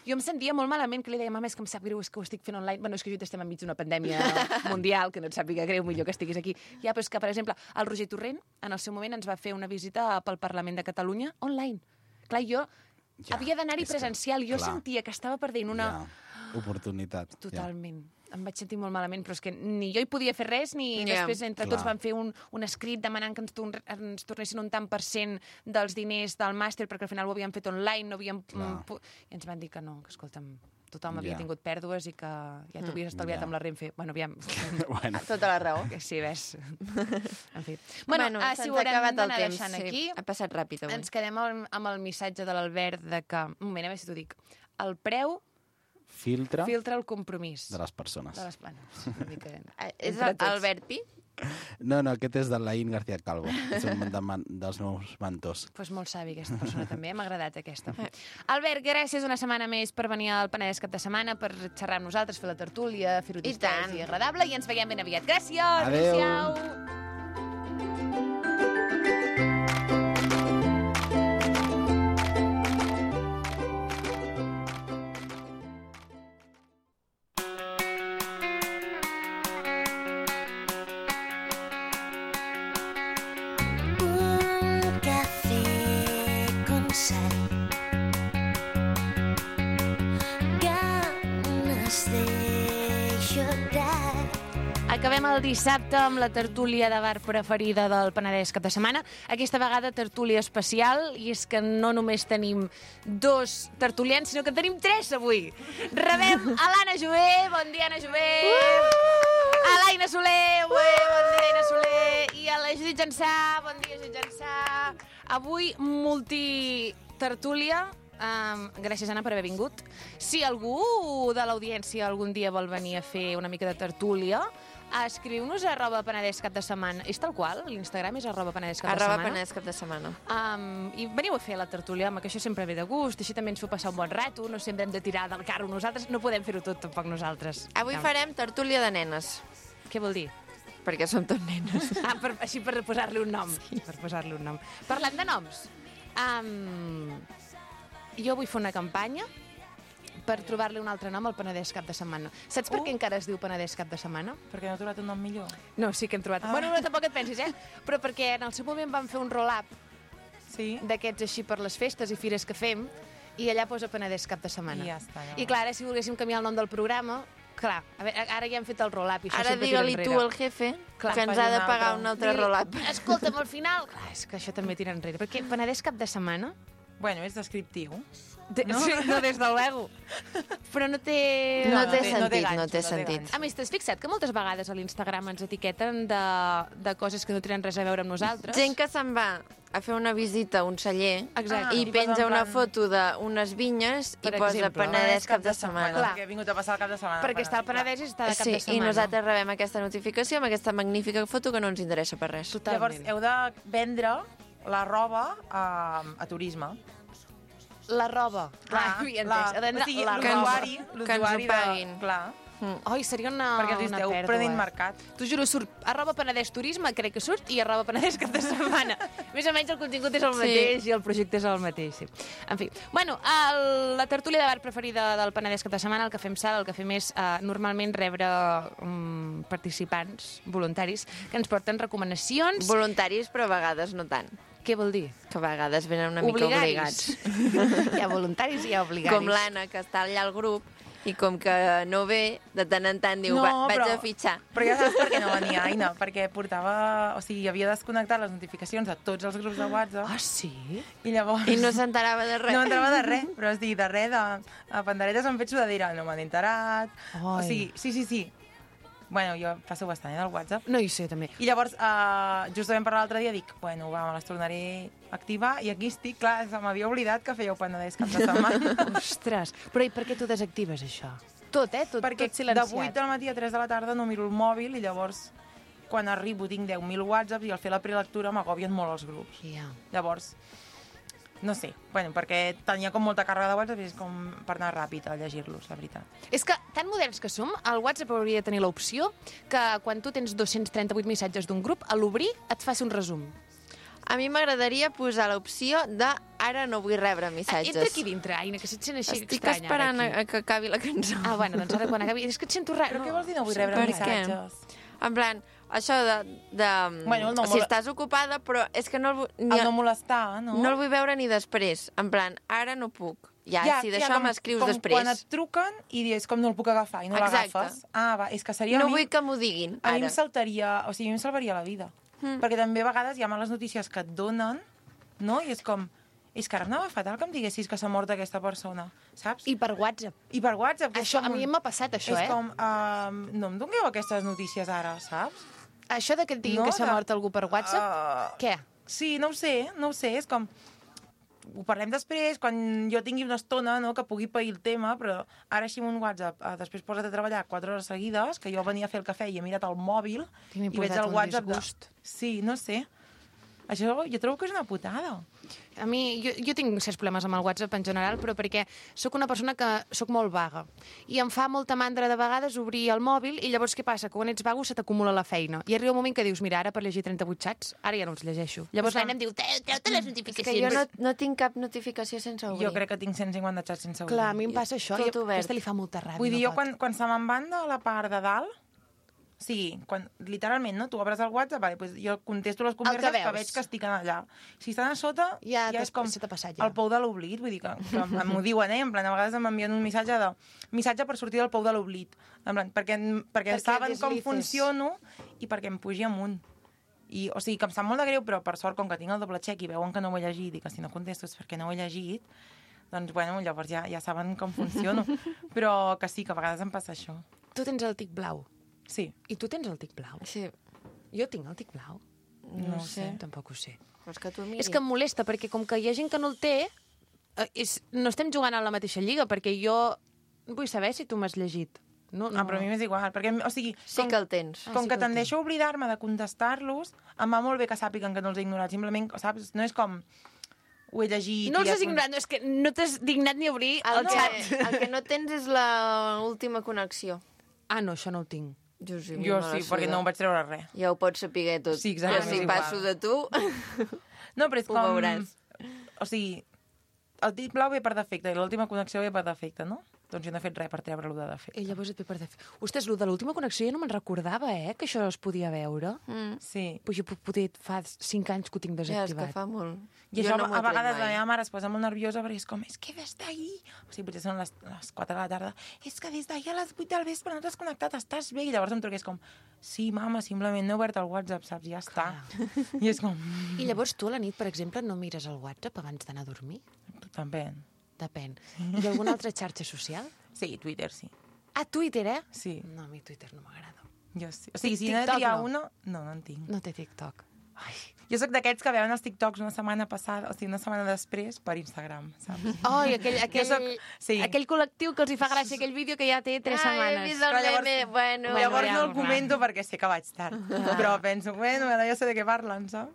Jo em sentia molt malament, que li deia, mama, és que em sap greu, és que ho estic fent online. Bueno, és que estem enmig d'una pandèmia mundial, que no et sàpiga greu, millor que estiguis aquí. Ja, però és que, per exemple, el Roger Torrent, en el seu moment, ens va fer una visita pel Parlament de Catalunya online. Clar, jo havia d'anar-hi presencial. Jo sentia que estava perdent una... Oportunitat. Totalment. Em vaig sentir molt malament, però és que ni jo hi podia fer res, ni després entre tots vam fer un escrit demanant que ens tornessin un tant % dels diners del màster, perquè al final ho havíem fet online, no havíem... I ens van dir que no, que escolta'm, tothom havia tingut pèrdues i que ja t'ho havies estalviat amb la Renfe. Bueno, aviam... Tota la raó. Sí, ves. En fi. Bueno, si ho haurem d'anar deixant aquí... Ha passat ràpid avui. Ens quedem amb el missatge de l'Albert de que... Un moment, a veure si t'ho dic. El preu... Filtra el compromís. De les persones. Una mica... És Albert Pi? No, aquest és de l'Aín García Calvo. És un dels meus mentors. Doncs molt savi, aquesta persona també. M'ha agradat, aquesta. Albert, gràcies una setmana més per venir al Penedès cap de setmana, per xerrar amb nosaltres, fer la tertúlia, fer-ho distès i agradable, i ens veiem ben aviat. Gràcies! Adéu! Acabem el dissabte amb la tertúlia de bar preferida del Penedès cap de setmana. Aquesta vegada tertúlia especial, i és que no només tenim 2 tertulians, sinó que en tenim 3 avui. Rebem a l'Anna Jové, bon dia, Anna Jové! A l'Aina Soler, bon dia, Aina Soler! I a la Judit Jansà, bon dia, Judit Jansà! Avui multitertúlia. Gràcies, Anna, per haver vingut. Si algú de l'audiència algun dia vol venir a fer una mica de tertúlia, escriu-nos a @penedescapdesetmana. És tal qual? L'Instagram és @penedescapdesetmana. @penedescapdesetmana. I veniu a fer la tertúlia, home, que això sempre ve de gust, així també ens fa passar un bon rato, no sempre hem de tirar del carro nosaltres, no podem fer-ho tot tampoc nosaltres. Avui farem tertúlia de nenes. Què vol dir? Perquè som tot nenes. Així per posar-li un nom. Per posar-li un nom. Parlem de noms. Jo vull fer una campanya per trobar-li un altre nom al Penedès cap de setmana. Saps per què encara es diu Penedès cap de setmana? Perquè no he trobat un nom millor. No, sí que hem trobat. Bueno, no, tampoc et pensis, Però perquè en el seu moment vam fer un roll-up d'aquests així per les festes i fires que fem, i allà posa Penedès cap de setmana. I ja està. I clar, ara si volguéssim canviar el nom del programa, clar, a veure, ara ja hem fet el roll-up i això ara sempre tira digue-li enrere. tu al jefe que ens ha de pagar un altre roll-up. Escolta'm, al final... Clar, és que això també tira enrere. Perquè Penedès cap de setmana... Bueno, és descriptiu. No? Sí, no, des de l'ego. Però no té... No té sentit. A més, t'has fixat que moltes vegades a l'Instagram ens etiqueten de coses que no tenen res a veure amb nosaltres? Gent que se'n va a fer una visita a un celler i penja una foto d'unes vinyes i posa Penedès cap de setmana. Perquè he vingut a passar el cap de setmana. Perquè està al Penedès i està de cap de setmana. I nosaltres rebem aquesta notificació amb aquesta magnífica foto que no ens interessa per res. Llavors, heu de vendre la roba a turisme. La roba. Clar, l'usuari que ens ho paguin. Clar. Ai, seria una perquè ens esteu prenent mercat. T'ho juro, surt @Penedès Turisme, crec que surt, i @Penedès cap de setmana. Més o menys el contingut és el mateix i el projecte és el mateix, sí. En fi, bueno, la tertúlia de bar preferida del Penedès cap de setmana, el que fem sala, el que fem és normalment rebre participants voluntaris que ens porten recomanacions. Voluntaris, però a vegades no tant. Què vol dir? Que a vegades venen una mica obligats. Hi ha voluntaris i hi ha obligaris. Com l'Anna, que està allà al grup, i com que no ve, de tant en tant diu, vaig a fitxar. Però ja saps per què no venia, Aina? Perquè portava... O sigui, havia desconnectat les notificacions de tots els grups de WhatsApp. Ah, sí? I llavors... I no s'enterava de res. No entrava de res, però o sigui, de res, de panderetes han fet sudadera, no m'han enterat. O sigui, sí. Bueno, jo passo bastant, del WhatsApp. No hi sé, també. I llavors, justament per l'altre dia dic, bueno, va, me les tornaré a activar, i aquí estic, clar, se m'havia oblidat que fèieu Penedès cap de setmana. Ostres, però i per què tu desactives això? Tot, tot Perquè silenciat. de 8 del matí a 3 de la tarda no miro el mòbil i llavors, quan arribo, tinc 10.000 whatsapps i al fer la prelectura m'agobien molt els grups. Ja. Llavors, no sé, bueno, perquè tenia com molta càrrega de WhatsApp i és com per anar ràpid a llegir-los, la veritat. És que, tan moderns que som, el WhatsApp hauria de tenir l'opció que quan tu tens 238 missatges d'un grup, a l'obrir et faci un resum. A mi m'agradaria posar l'opció de ara no vull rebre missatges. Entra aquí dintre, Aina, que se't sent així Estic estranya. esperant a que acabi la cançó. Ah, bueno, doncs ara quan acabi... És que et sento raro. Però què vols dir no vull rebre Per missatges? En plan, això Bueno, no si estàs ocupada, però és que no el vull... El no molestar, no? No el vull veure ni després. En plan, ara no puc. Si d'això m'escrius després. Com quan et truquen i és com no el puc agafar i no l'agafes. Ah, va, és que seria... No vull que m'ho diguin, A mi ara. em saltaria... O sigui, a mi em salvaria la vida. Perquè també a vegades hi ha males notícies que et donen, no? I és com... És que ara anava fatal que em diguessis que s'ha mort aquesta persona, saps? I per WhatsApp. I per WhatsApp. Que Això, a mi m'ha passat, això, És com, no em dongueu aquestes notícies ara, saps? Això de que et diguin que s'ha mort algú per WhatsApp, què? Sí, no ho sé, és com... Ho parlem després, quan jo tingui una estona, no?, que pugui pair el tema, però ara així amb un WhatsApp, després posa't a treballar 4 hores seguides, que jo venia a fer el cafè i he mirat el mòbil, i veig el WhatsApp disgust. Sí, no sé. Això jo trobo que és una putada. A mi, jo tinc certs problemes amb el WhatsApp en general, però perquè sóc una persona que sóc molt vaga. I em fa molta mandra de vegades obrir el mòbil i llavors què passa? Que quan ets vago se t'acumula la feina. I arriba un moment que dius, mira, ara per llegir 38 chats, ara ja no els llegeixo. Llavors l'Aina em diu, treu-te les notificacions. És que jo no tinc cap notificació sense obrir. Jo crec que tinc 150 chats sense obrir. Clar, a mi em passa això. Tot obert. Aquesta li fa molta ràbia. Vull dir, jo quan se me'n van de la part de dalt, o sigui, quan, literalment, no? Tu obres el WhatsApp, vale, pues jo contesto les converses que veig que estic allà. Si estan a sota, ja és com el pou de l'oblit, vull dir que m'ho diuen, en plan, a vegades m'envien un missatge per sortir del pou de l'oblit, en plan, perquè saben com funciono i perquè em pugi amunt. I, o sigui, que em sap molt de greu, però per sort, com que tinc el doble check i veuen que no ho he llegit i que si no contesto és perquè no ho he llegit, doncs, bueno, llavors ja saben com funciono. Però que sí, que a vegades em passa això. Tu tens el tic blau. Sí. I tu tens el tic blau? Sí. Jo tinc el tic blau. No ho sé. Tampoc ho sé. És que tu miris. És que em molesta, perquè com que hi ha gent que no el té, no estem jugant a la mateixa lliga, perquè jo vull saber si tu m'has llegit. No. Però a mi m'és igual, perquè, o sigui... Sí que el tens. Com que tendeixo a oblidar-me de contestar-los, em va molt bé que sàpiguen que no els he ignorat. Simplement, saps? No és com... Ho he llegit... No els has ignorat, és que no t'has dignat ni obrir el xat. El que no tens és l'última connexió. Ah, no, això no ho tinc. Jo sí, perquè no ho vaig treure res. Ja ho pots saber tot. Sí, exactament. Si passo de tu, no, però és com... ho veuràs. O sigui, el tic blau ve per defecte i l'última connexió ve per defecte, no? Doncs jo no he fet res per treure-lo de defecte. I llavors et ve per defecte. Ostres, el de l'última connexió ja no me'n recordava, que això es podia veure. Sí. Pues jo potser fa 5 anys que ho tinc desactivat. Ja, és que fa molt. I això a vegades la meva mare es posa molt nerviosa perquè és com, és que des d'ahir... O sigui, potser són les 4 de la tarda. És que des d'ahir a les 8 del vespre no t'has connectat, estàs bé? I llavors em truqués com, sí, mama, simplement no he obert el WhatsApp, saps? Ja està. I és com... I llavors tu a la nit, per exemple, no mires el WhatsApp abans d'anar a dormir? Depèn. I alguna altra xarxa social? Sí, Twitter, sí. Ah, Twitter, Sí. No, a mi Twitter no m'agrada. Jo sí. O sigui, si n'he de triar uno... No en tinc. No té TikTok. Ai. Jo sóc d'aquests que veuen els TikToks una setmana passada, o sigui, una setmana després, per Instagram, saps? Oh, i aquell col·lectiu que els hi fa gràcia, aquell vídeo que ja té 3 setmanes. He vist el meme, bueno... Llavors no el comento perquè sé que vaig tard. Però penso, bueno, ara ja sé de què parlen, saps?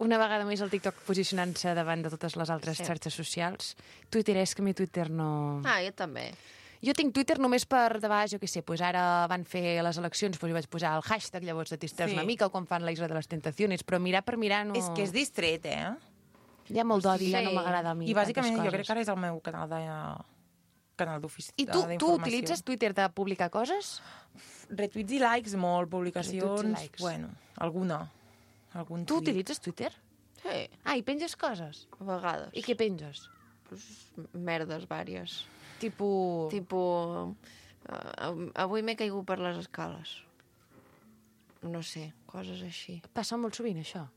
Una vegada més el TikTok posicionant-se davant de totes les altres xarxes socials. Twitter és que a mi Twitter no... Ah, jo també. Jo tinc Twitter només per de vegades, jo què sé, pues ara van fer les eleccions, pues jo vaig posar el hashtag, llavors de tisters una mica, o quan fan la Isla de les Tentaciones, però mirar per mirar no... És que és distret, Hi ha molt d'odi, ja no m'agrada a mi. I bàsicament jo crec que ara és el meu canal d'oficina. I tu utilitzes Twitter de publicar coses? Retweets i likes, molt, publicacions... Bueno, alguna. Tu utilitzes Twitter? Sí. Ah, i penges coses? A vegades. I què penges? Merdes vàries. Tipo... Avui m'he caigut per les escales. No sé, coses així. Passa molt sovint, això.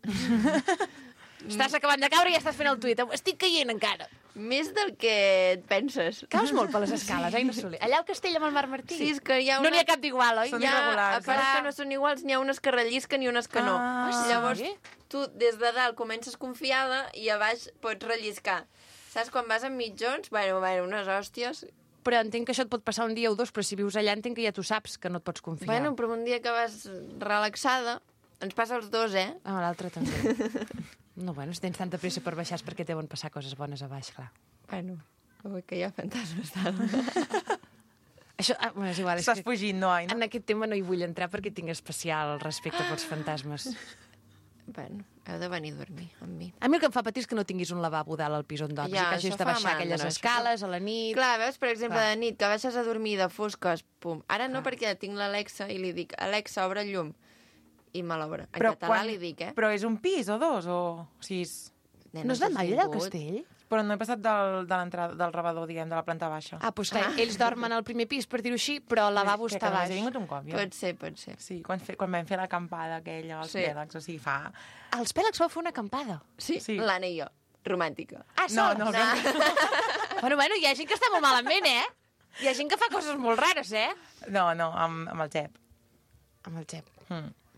Estàs acabant de caure i ja estàs fent el tuit. Estic caient encara. Més del que et penses. Caus molt per les escales, Aina Soler. Allà al castell amb el Marc Martí. Sí, és que hi ha no n'hi ha cap d'igual, oi? Són irregulars. A part que no són iguals, n'hi ha unes que rellisquen i unes que no. Llavors, tu des de dalt comences confiada i a baix pots relliscar. Saps, quan vas amb mitjons, bueno, unes hòsties... Però entenc que això et pot passar un dia o dos, però si vius allà entenc que ja tu saps que no et pots confiar. Bueno, però un dia que vas relaxada, ens passa els dos, eh? Ah, l'altre també. No, bueno, si tens tanta pressa per baixar és perquè deuen passar coses bones a baix, clar. Bueno, que hi ha fantasmes dalt. Això, bueno, és igual. Estàs fugint, no, Aina? En aquest tema no hi vull entrar perquè tinc especial respecte pels fantasmes. Bueno, heu de venir a dormir amb mi. A mi el que em fa patir és que no tinguis un lavabo dalt al pis on dorms, i que hagis de baixar aquelles escales a la nit... Clar, veus, per exemple, de nit, que baixes a dormir de fosques, pum. Ara no, perquè tinc l'Alexa i li dic, Alexa, obre el llum. I me l'obre. En català li dic, eh? Però és un pis o dos? O si és... No has anat mai allà al castell? Però no he passat del rebedor, diguem, de la planta baixa. Ah, doncs clar, ells dormen al primer pis, per dir-ho així, però el lavabo està a baix. He vingut un cop, ja. Pot ser. Sí, quan vam fer l'acampada aquella, els pèlegs, o sigui, fa... Els pèlegs vau fer una acampada? Sí. L'Anna i jo. Romàntica. Ah, sols? No. Bueno, hi ha gent que està molt malament, eh? Hi ha gent que fa coses molt rares, eh? No, amb el Gep. Amb el Gep.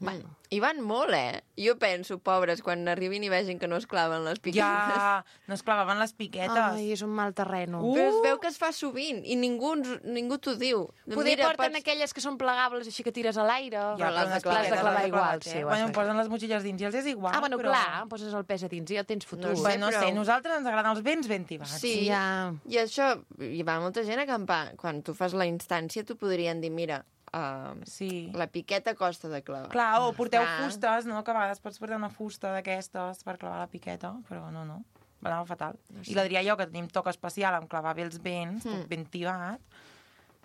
I van molt, eh? Jo penso, pobres, quan arribin i vegin que no es claven les piquetes. Ja, no es clavaven les piquetes. Ai, és un mal terreno. Però es veu que es fa sovint i ningú t'ho diu. Poder porten aquelles que són plegables així que tires a l'aire. Ja, les de clavar igual. Sí, bueno, posen les motxilles dins i els és igual. Ah, bueno, clar, poses el pes a dins i ja tens futur. No sé, nosaltres ens agraden els vents ben tibats. Sí, i això, hi va molta gent a acampar. Quan tu fas la instància, t'ho podrien dir, mira, la piqueta costa de clavar. Clar, o porteu fustes, no? Que a vegades pots portar una fusta d'aquestes per clavar la piqueta, però no. Va anar fatal. No sé. I l'Adrià i jo, que tenim toc especial amb clavar bé els vents, ben tibat,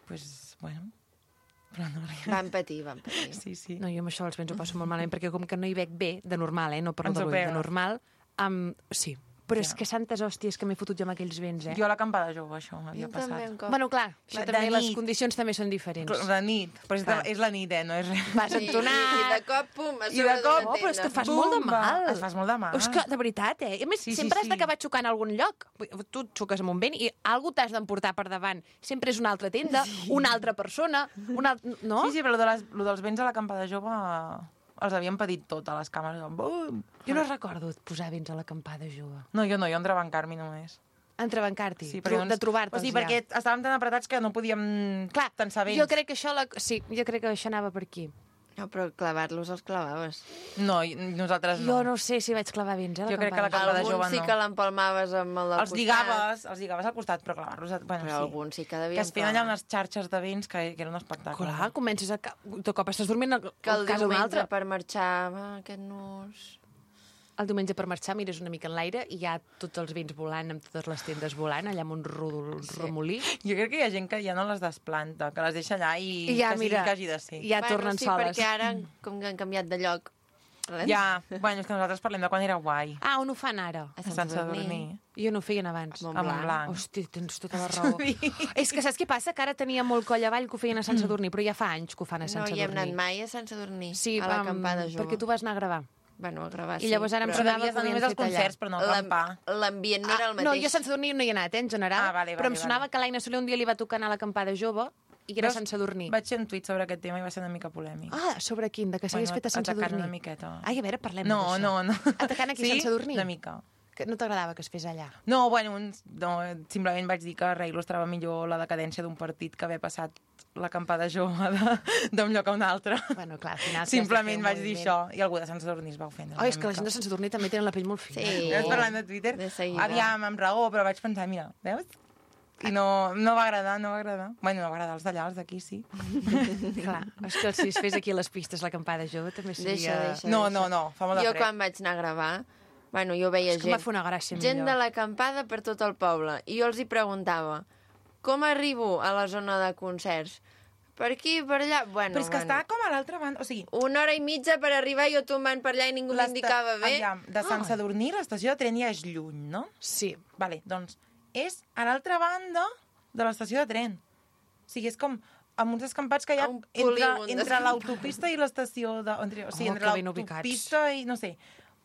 doncs, bueno... Però no Van patir. Sí. No, jo amb això els vents ho passo molt malament, perquè com que no hi veig bé, de normal, no parlo de l'ull, de normal, sí. Però és que santes hòsties que m'he fotut jo amb aquells vents, eh? Jo a l'acampada jove, això havia passat. Bueno, clar, això també, les condicions també són diferents. De nit, però és la nit, no és res. Vas entonat. I de cop, pum, a sobre d'una tenda. Però és que fas molt de mal. Et fas molt de mal. És que, de veritat, eh? A més, sempre has d'acabar xocant a algun lloc. Tu et xoques amb un vent i algú t'has d'emportar per davant. Sempre és una altra tenda, una altra persona, no? Sí, però lo dels vents a l'acampada jove... Els havien pedit tot a les càmeres. Bum! Jo no recordo posar vents a l'acampada jove. No, jo entrebancar-m'hi només. Entrebancar-t'hi? Sí, de trobar-te'ls ja. Perquè estàvem tan apretats que no podíem tensar vents. Jo crec que això anava per aquí. No, però clavar-los els clavaves. No, nosaltres no. Jo no sé si vaig clavar vents, Jo crec que la campada jove no. Algun sí que l'empalmaves amb el del costat. Els lligaves al costat, però clavar-los... Bueno, però algun sí que devien que es feien allà unes xarxes de vents que era un espectacle. Clar, comences a... De cop estàs dormint a casa d'un altre. Per marxar, aquest nus... El diumenge per marxar mires una mica en l'aire i hi ha tots els vents volant, amb totes les tendes volant, allà amb un remolí. Jo crec que hi ha gent que ja no les desplanta, que les deixa allà i ja, que sigui que hagi de ser. Ja tornen soles. Sí, perquè ara, com que han canviat de lloc... Ja, bueno, és que nosaltres parlem de quan era guai. Ah, on ho fan ara? A Sant Sadurní. Jo no ho feien abans. A Montblanc. Hòstia, tens tota la raó. És que saps què passa? Que ara tenia molt coll avall que ho feien a Sant Sadurní, però ja fa anys que ho fan a Sant Sadurní. No hi hem anat mai a Sant Sadurní, sí, a l'acampada jove. Perquè tu vas anar a gravar. Bueno, a gravar, sí. I llavors ara em sonava que només els concerts, però no a acampar. L'ambient no era el mateix. No, jo a Sant Sadurní no hi he anat, en general. Però em sonava que l'Aina Soler un dia li va tocar anar a l'acampada jove i que era Sant Sadurní. Vaig fer un tuit sobre aquest tema i va ser una mica polèmic. Ah, sobre quin? De que s'hagués fet a Sant Sadurní? Atacant una miqueta. Ai, a veure, parlem d'això. No. Atacant aquí a Sant Sadurní? Sí, una mica. Que no t'agradava que es fes allà? No, bueno, simplement vaig dir que a Rei il·lustrava millor la decadència d'un partit que haver passat l'acampada jove d'un lloc a un altre. Bueno, clar, al final... Simplement vaig dir això i algú de Sant Sadurní es va ofendre. Oh, és que la gent de Sant Sadurní també tenen la pell molt fina. Sí. Veus parlant de Twitter? Aviam, amb raó, però vaig pensar, mira, veus? I no va agradar. Bueno, no va agradar els d'allà, els d'aquí sí. Clar, és que si es fes aquí a les pistes l'acampada jove també seria... Deixa. No, fa molt de fred. Jo quan vaig anar a gravar, bueno, jo veia gent... És que em va fer una gràcia gent de l'acampada per tot el poble. I jo els hi preguntava, com arribo a la zona de concerts? Per aquí, per allà... Bueno, però és que està com a l'altra banda, o sigui... 1 hora i mitja per arribar, jo tombant per allà i ningú m'indicava bé. Aviam, de Sant Sadurní, l'estació de tren ja és lluny, no? Sí. Vale, doncs és a l'altra banda de l'estació de tren. O sigui, és com amb uns escampats que hi ha entre l'autopista i l'estació de... O sigui, entre l'autopista i, no sé,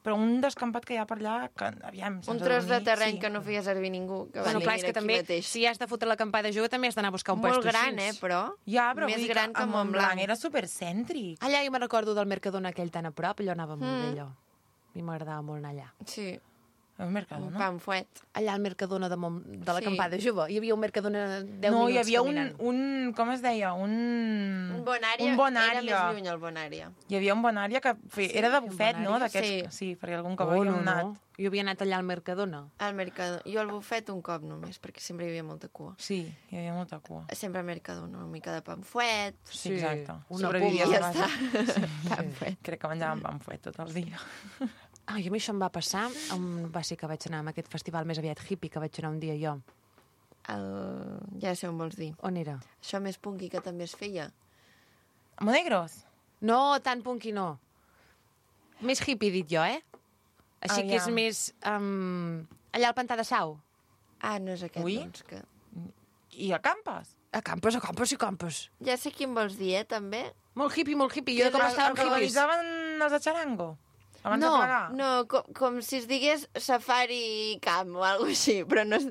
però un descampat que hi ha per allà, que, aviam... Un tros de terreny que no feia servir ningú, que va clar, és que també, mateix. si has de fotre l'acampada jove, també has d'anar a buscar un puesto molt gran, però... Ja, però més vull dir gran que Montblanc. Era supercèntric. Allà jo me'n recordo del Mercadona aquell tan a prop, allò anava molt bé, allò. A mi m'agradava molt anar allà. Sí. El Mercadona? Un pamfuet. Allà al Mercadona de l'acampada jove. Hi havia un Mercadona 10 no, minuts hi havia caminant. com es deia? Un Bonària. Un Bonària. Era més lluny, el Bonària. Hi havia un Bonària que era de bufet, no? Sí, perquè algun cop havíem anat. Jo havia anat allà al Mercadona. Al Mercadona. Jo al bufet un cop només, perquè sempre hi havia molta cua. Sí, hi havia molta cua. Sempre al Mercadona, una mica de pamfuet. Sí, exacte. Una poma. I ja està. Pamfuet. Crec que menjàvem pamfuet tot el dia. I a mi això em va passar, va ser que vaig anar a aquest festival més aviat hippie, que vaig anar un dia jo. Ja sé on vols dir. On era? Això més punky que també es feia. Monegros? No, tan punky no. Més hippie, dit jo, Així que és més... allà al Pantà de Sau. No és aquest, doncs, que... I a Campos? A Campos. Ja sé quin vols dir, també. Molt hippie. Jo com estàvem hippies. Organitzaven els de Charango? Abans de plegar? No, com si es digués Safari Camp o alguna cosa així, però no...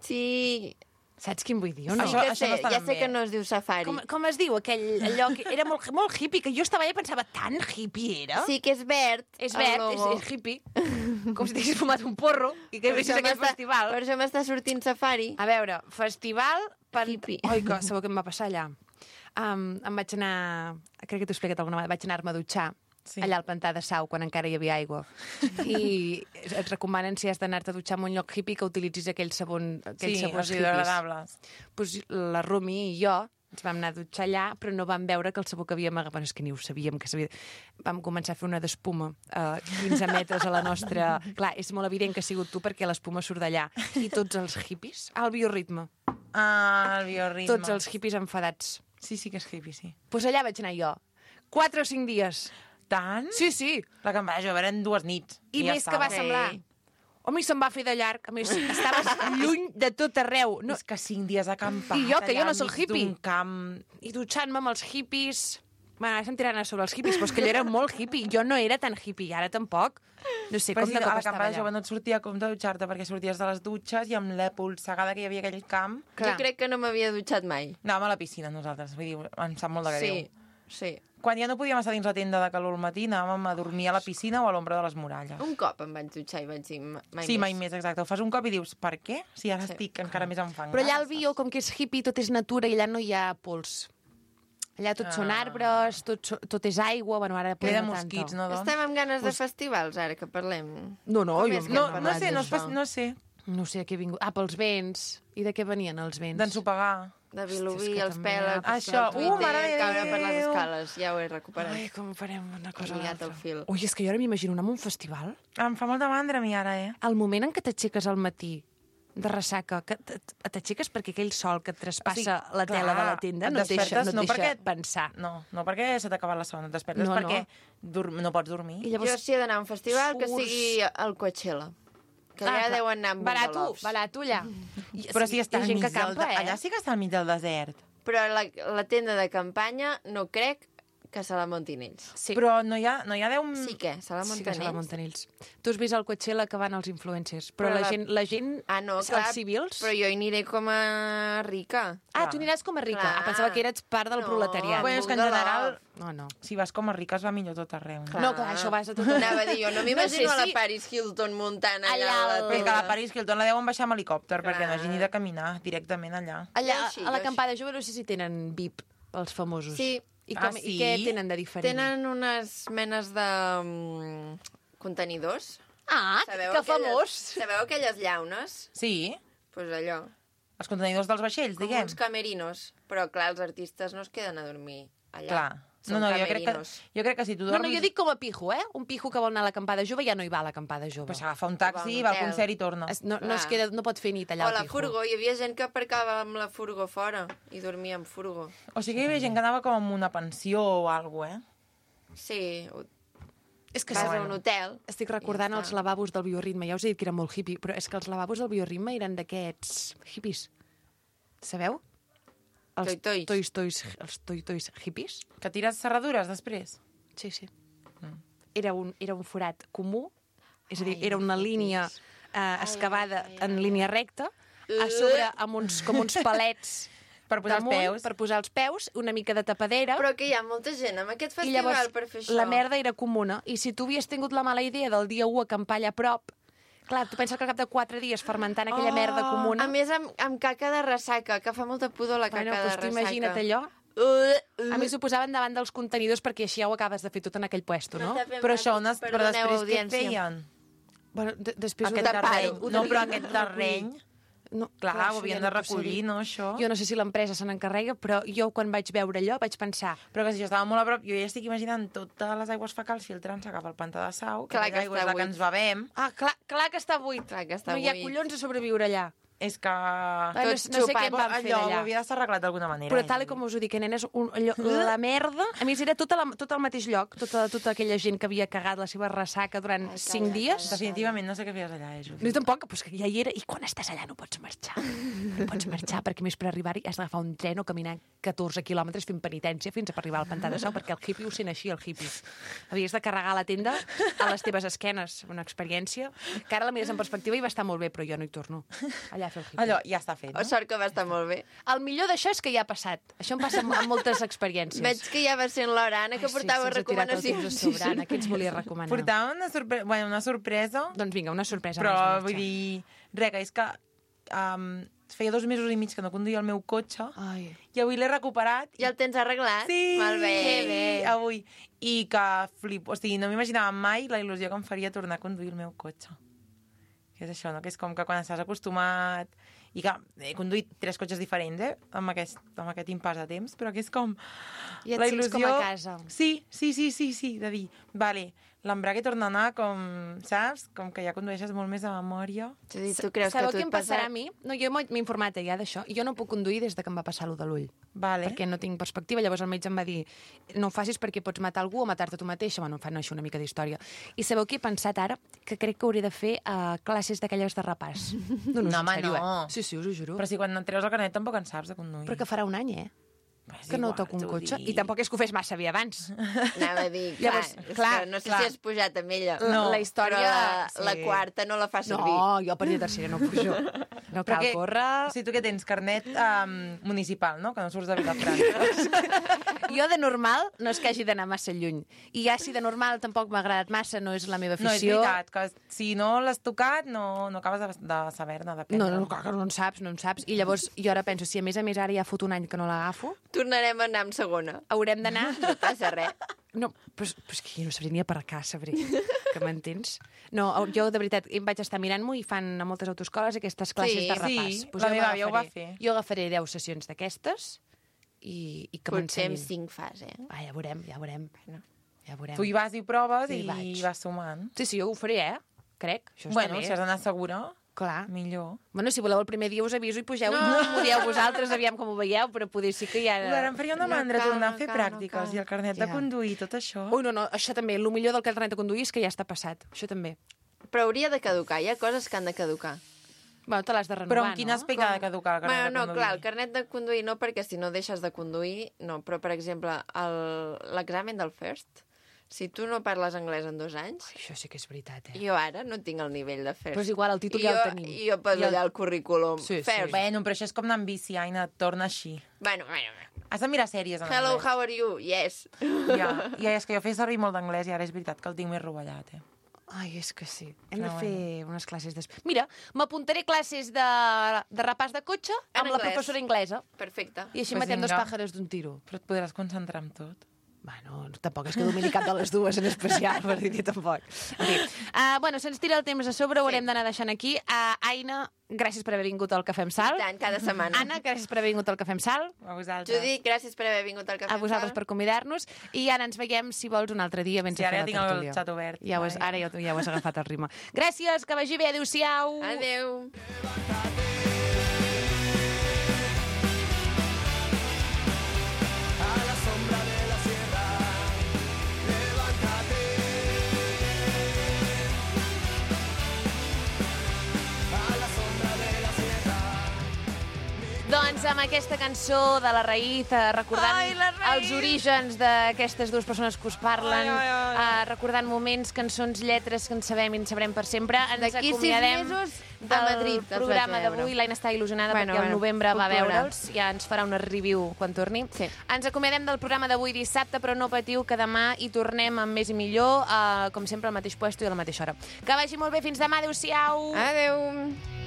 Sí... Saps quin vull dir o no? Sí que sé, ja sé que no es diu Safari. Com es diu allò que era molt hippie, que jo estava allà i pensava, tan hippie era? Sí, que és verd. És verd, és hippie. Com si t'haguessis fumat un porro i que haguessis aquest festival. Per això m'està sortint Safari. A veure, festival... Hippie. Oi, que sabeu què em va passar allà? Em vaig anar... Crec que t'ho he explicat alguna vegada. Vaig anar-me a dutxar allà al Pantà de Sau, quan encara hi havia aigua. I et recomanen, si has d'anar-te a dutxar en un lloc hippie, que utilitzis aquells sabons hippies. Sí, els biodegradables. Pues la Rumi i jo ens vam anar a dutxar allà, però no vam veure que el sabó que havíem agafat... Bueno, és que ni ho sabíem que sabia... Vam començar a fer una d'espuma a 15 metres a la nostra... Clar, és molt evident que ha sigut tu, perquè l'espuma surt d'allà. I tots els hippies... el bioritme. El bioritme. Tots els hippies enfadats. Sí, que és hippie, sí. Pues allà vaig anar jo. 4 o 5 dies. Tant? Sí. La campanya jove eren 2 nits. I més que va semblar. Home, i se'm va fer de llarg. A més, estaves lluny de tot arreu. No. És que 5 dies acampat. I jo, que jo no soc hippie. D'un camp... I dutxant-me amb els hippies... Bueno, ara se'n tiraran sobre els hippies, però és que jo era molt hippie. Jo no era tan hippie, ara tampoc. No sé, però com de cop estava allà. A la campanya jove no et sortia com de dutxar-te, perquè sorties de les dutxes i amb la polsegada que hi havia aquell camp... Clar. Jo crec que no m'havia dutxat mai. Anàvem a la piscina, nosaltres. Vull dir, em sap molt de greu. Sí. Quan ja no podíem estar dins la tenda de calor al matí, anàvem a dormir a la piscina o a l'ombra de les muralles. Un cop em vaig dutxar i vaig dir mai més. Sí, mai més, exacte. Ho fas un cop i dius, per què? Si ara estic encara més enfangat. Però allà al bio, com que és hippie, tot és natura i allà no hi ha pols. Allà tot són arbres, tot és aigua, bueno, ara... Ple de mosquits, no, doncs? Estem amb ganes de festivals, ara que parlem. No, no sé. No sé a què he vingut. Pels vents. I de què venien els vents? D'ensopegar. De vilobí, els pèlegs, això, mare de Déu! Caure per les escales, ja ho he recuperat. Ai, com farem una cosa l'altra. Ui, és que jo ara m'imagino anar a un festival. Em fa molta mandra a mi ara, El moment en què t'aixeques al matí de ressaca, que t'aixeques perquè aquell sol que et traspassa la tela de la tenda no et deixa pensar. No perquè se t'ha acabat la son, et despertes perquè no pots dormir. Jo si he d'anar a un festival que sigui al Coachella. Que allà deuen anar amb barato allà. Però si està enmig allà sí que està al mig del desert. Però la tenda de campanya no crec que se la muntin ells. Sí. Però no hi ha 10... Sí que se la munten ells. Tu has vist al Coachella que van els influencers, però la gent els civils... Però jo hi aniré com a rica. Tu aniràs com a rica. Pensava que eres part del proletariat. Bueno, és que en general... No. Si vas com a rica es va millor tot arreu. No, clar, això vas a tot arreu. Anava a dir, jo no m'imagino a la Paris Hilton muntant allà. Perquè a la Paris Hilton la deuen baixar amb helicòpter, perquè no hagi ni de caminar directament allà. Allà, a l'acampada jove, no sé si tenen VIP, els famosos. Sí. I què tenen de diferent? Tenen unes menes de contenidors. Que famós! Sabeu aquelles llaunes? Sí. Pues allò. Els contenidors dels vaixells, diguem. Com uns camerinos. Però, clar, els artistes no es queden a dormir allà. Clar. No, jo crec que si tu dorms... No, jo dic com a pijo, Un pijo que vol anar a l'acampada jove ja no hi va a l'acampada jove. Pues s'agafa un taxi, va al concert i torna. No pot fer nit allà al pijo. O la furgo, hi havia gent que aparcava amb la furgo fora i dormia amb furgo. O sigui que hi havia gent que anava com en una pensió o alguna cosa, Sí, és que vas a un hotel. Estic recordant els lavabos del bioritme. Ja us he dit que era molt hippie, però és que els lavabos del bioritme eren d'aquests hippies. Sabeu? Els tois hippies. Que tires serradures després? Sí. era un forat comú, és a dir, era una línia excavada en línia recta, a sobre amb com uns palets per posar els peus, una mica de tapadera. Però que hi ha molta gent amb aquest festival per fer això. La merda era comuna, i si tu havies tingut la mala idea del dia 1 acampar allà a prop, clar, tu penses que al cap de 4 dies fermentant aquella merda comuna... A més, amb caca de ressaca, que fa molta pudor la caca de ressaca. Imagina't allò. A mi s'ho posaven davant dels contenidors perquè així ja ho acabes de fer tot en aquell puesto, no? Però això, però després què feien? Bueno, després aquest terreny. No, però aquest terreny... No, clar, ho havien de recollir, no, això? Jo no sé si l'empresa se n'encarrega, però jo quan vaig veure allò vaig pensar... Però que si jo estava molt a prop, jo ja estic imaginant totes les aigües fecals filtrant-se cap al pantà de Sau, que l'aigua és la que ens bevem. Ah, clar que està buit. No hi ha collons a sobreviure allà. És que... No sé què en van fer allà. Allò ho havia d'estar arreglat d'alguna manera. Però tal com us ho dic, nenes, la merda... A més, era tot al mateix lloc, tota aquella gent que havia cagat la seva ressaca durant 5 dies. Definitivament no sé què feies allà, Judit. No, tampoc, però és que ja hi era. I quan estàs allà no pots marxar. No pots marxar, perquè més per arribar-hi has d'agafar un tren o caminar 14 quilòmetres fent penitència fins a arribar al pantà de Sau, perquè el hippie ho sent així, el hippie. Havies de carregar la tenda a les teves esquenes. Una experiència que ara la mires en perspectiva i va estar molt bé, però jo no hi torno. Allà a fer el hippie. Allò ja està fet, no? Sort que va estar molt bé. El millor d'això és que ja ha passat. Això em passa amb moltes experiències. Veig que ja va ser l'hora, Anna, que portava recomanacions. Anna, què ens volia recomanar? Portava una sorpresa. Doncs vinga, una sorpresa. Però, vull dir, res, és que feia 2 mesos i mig que no conduïa el meu cotxe i avui l'he recuperat. I el tens arreglat? Sí! Molt bé. Que bé, avui. I que flipo. O sigui, no m'imaginava mai la il·lusió que em faria tornar a conduir el meu cotxe. Que és això, no? Que és com que quan estàs acostumat... I que he conduït 3 cotxes diferents, amb aquest impàs de temps, però que és com... I et sents com a casa. Sí, de dir, vale, l'embrague torna a anar com, saps? Com que ja condueixes molt més de memòria. Tu creus Sabeu que què em passarà a mi? No, jo m'he informat ja d'això, i jo no puc conduir des que em va passar allò de l'ull. Vale. Perquè no tinc perspectiva. Llavors el metge em va dir, no ho facis perquè pots matar algú o matar-te tu mateixa. Bueno, em fan així una mica d'història. I sabeu què he pensat ara? Que crec que hauré de fer classes d'aquelles de repàs. No, home, no. Sí, us ho juro. Però si quan et treus el carnet tampoc en saps de conduir. Però que farà un any, que no toco un cotxe. I tampoc és que ho fes massa bé abans. Anava a dir, clar, no sé si has pujat amb ella. No, la història... Però la quarta no la fa servir. No, jo a partir de tercera no pujo. No cal córrer... O sigui, tu que tens carnet municipal, no? Que no surts de Vilafranca. Jo de normal no és que hagi d'anar massa lluny. I ja si de normal tampoc m'ha agradat massa, no és la meva afició. No, és veritat, que si no l'has tocat no acabes de saber-ne, d'aprendre. No en saps. I llavors jo ara penso, si a més ara ja fot un any que no l'agafo... Tornarem a anar amb segona. Haurem d'anar... No passa res. No, però és que jo no sabria ni aparcar, sabré. Que m'entens? No, jo de veritat em vaig estar mirant-m'ho i fan a moltes autoescoles aquestes classes de repàs. Sí, la meva àvia ho va fer. Jo agafaré 10 sessions d'aquestes i que m'ensenyin. Potser amb 5 fas, Ja veurem. Ja veurem. Tu hi vas i proves i vas sumant. Sí, jo ho faré, crec. Això bueno, si has d'anar segura... Clar. Millor. Bueno, si voleu el primer dia us aviso i pugeu i m'ho dieu vosaltres, aviam com ho veieu, però poder sí que ja... Ara em faria una mandra tornar a fer pràctiques i el carnet de conduir, tot això. Ui, no, això també. El millor del carnet de conduir és que ja està passat. Això també. Però hauria de caducar. Hi ha coses que han de caducar. Bueno, te l'has de renovar, però en quin aspecte ha de caducar el carnet de conduir? No, clar, el carnet de conduir no, perquè si no deixes de conduir, no. Però, per exemple, l'examen del FIRST, si tu no parles anglès en 2 anys... Això sí que és veritat, Jo ara no tinc el nivell de FIRST. Però és igual, el títol ja el tenim. I jo poso allà el currículum. FIRST. Bueno, però això és com anar amb bici, Aina, torna així. Bueno. Has de mirar sèries en Hello, anglès. how are you? Yes. Ja, és que jo feia servir molt d'anglès i ara és veritat que el tinc més rovellat, Ai, és que sí. Hem de fer unes classes després. Mira, m'apuntaré classes de repàs de cotxe amb la professora inglesa. Perfecte. I així matem 2 pàjaros d'un tiro. Però et podràs concentrar en tot. Bueno, tampoc és que domini cap de les dues en especial, per dir-hi tampoc. En fi, bueno, se'ns tira el temps a sobre, ho haurem d'anar deixant aquí. Aina, gràcies per haver vingut al Cafè amb Sal. I tant, cada setmana. Anna, gràcies per haver vingut al Cafè amb Sal. A vosaltres. Judit, gràcies per haver vingut al Cafè amb Sal. A vosaltres per convidar-nos. I ara ens veiem, si vols, un altre dia. Sí, ara ja tinc el xat obert. Ara ja ho has agafat el ritme. Gràcies, que vagi bé, adéu-siau. Adéu. Doncs Doncs amb aquesta cançó de la Raïz, recordant els orígens d'aquestes dues persones que us parlen, recordant moments, cançons, lletres que en sabem i en sabrem per sempre, ens acomiadem de Madrid. El programa d'avui. L'Aina està il·lusionada perquè al novembre va veure'ls. Ja ens farà una review quan torni. Ens acomiadem del programa d'avui dissabte, però no patiu que demà hi tornem amb més i millor, com sempre al mateix puesto i a la mateixa hora. Que vagi molt bé. Fins demà. Adéu-siau. Adéu.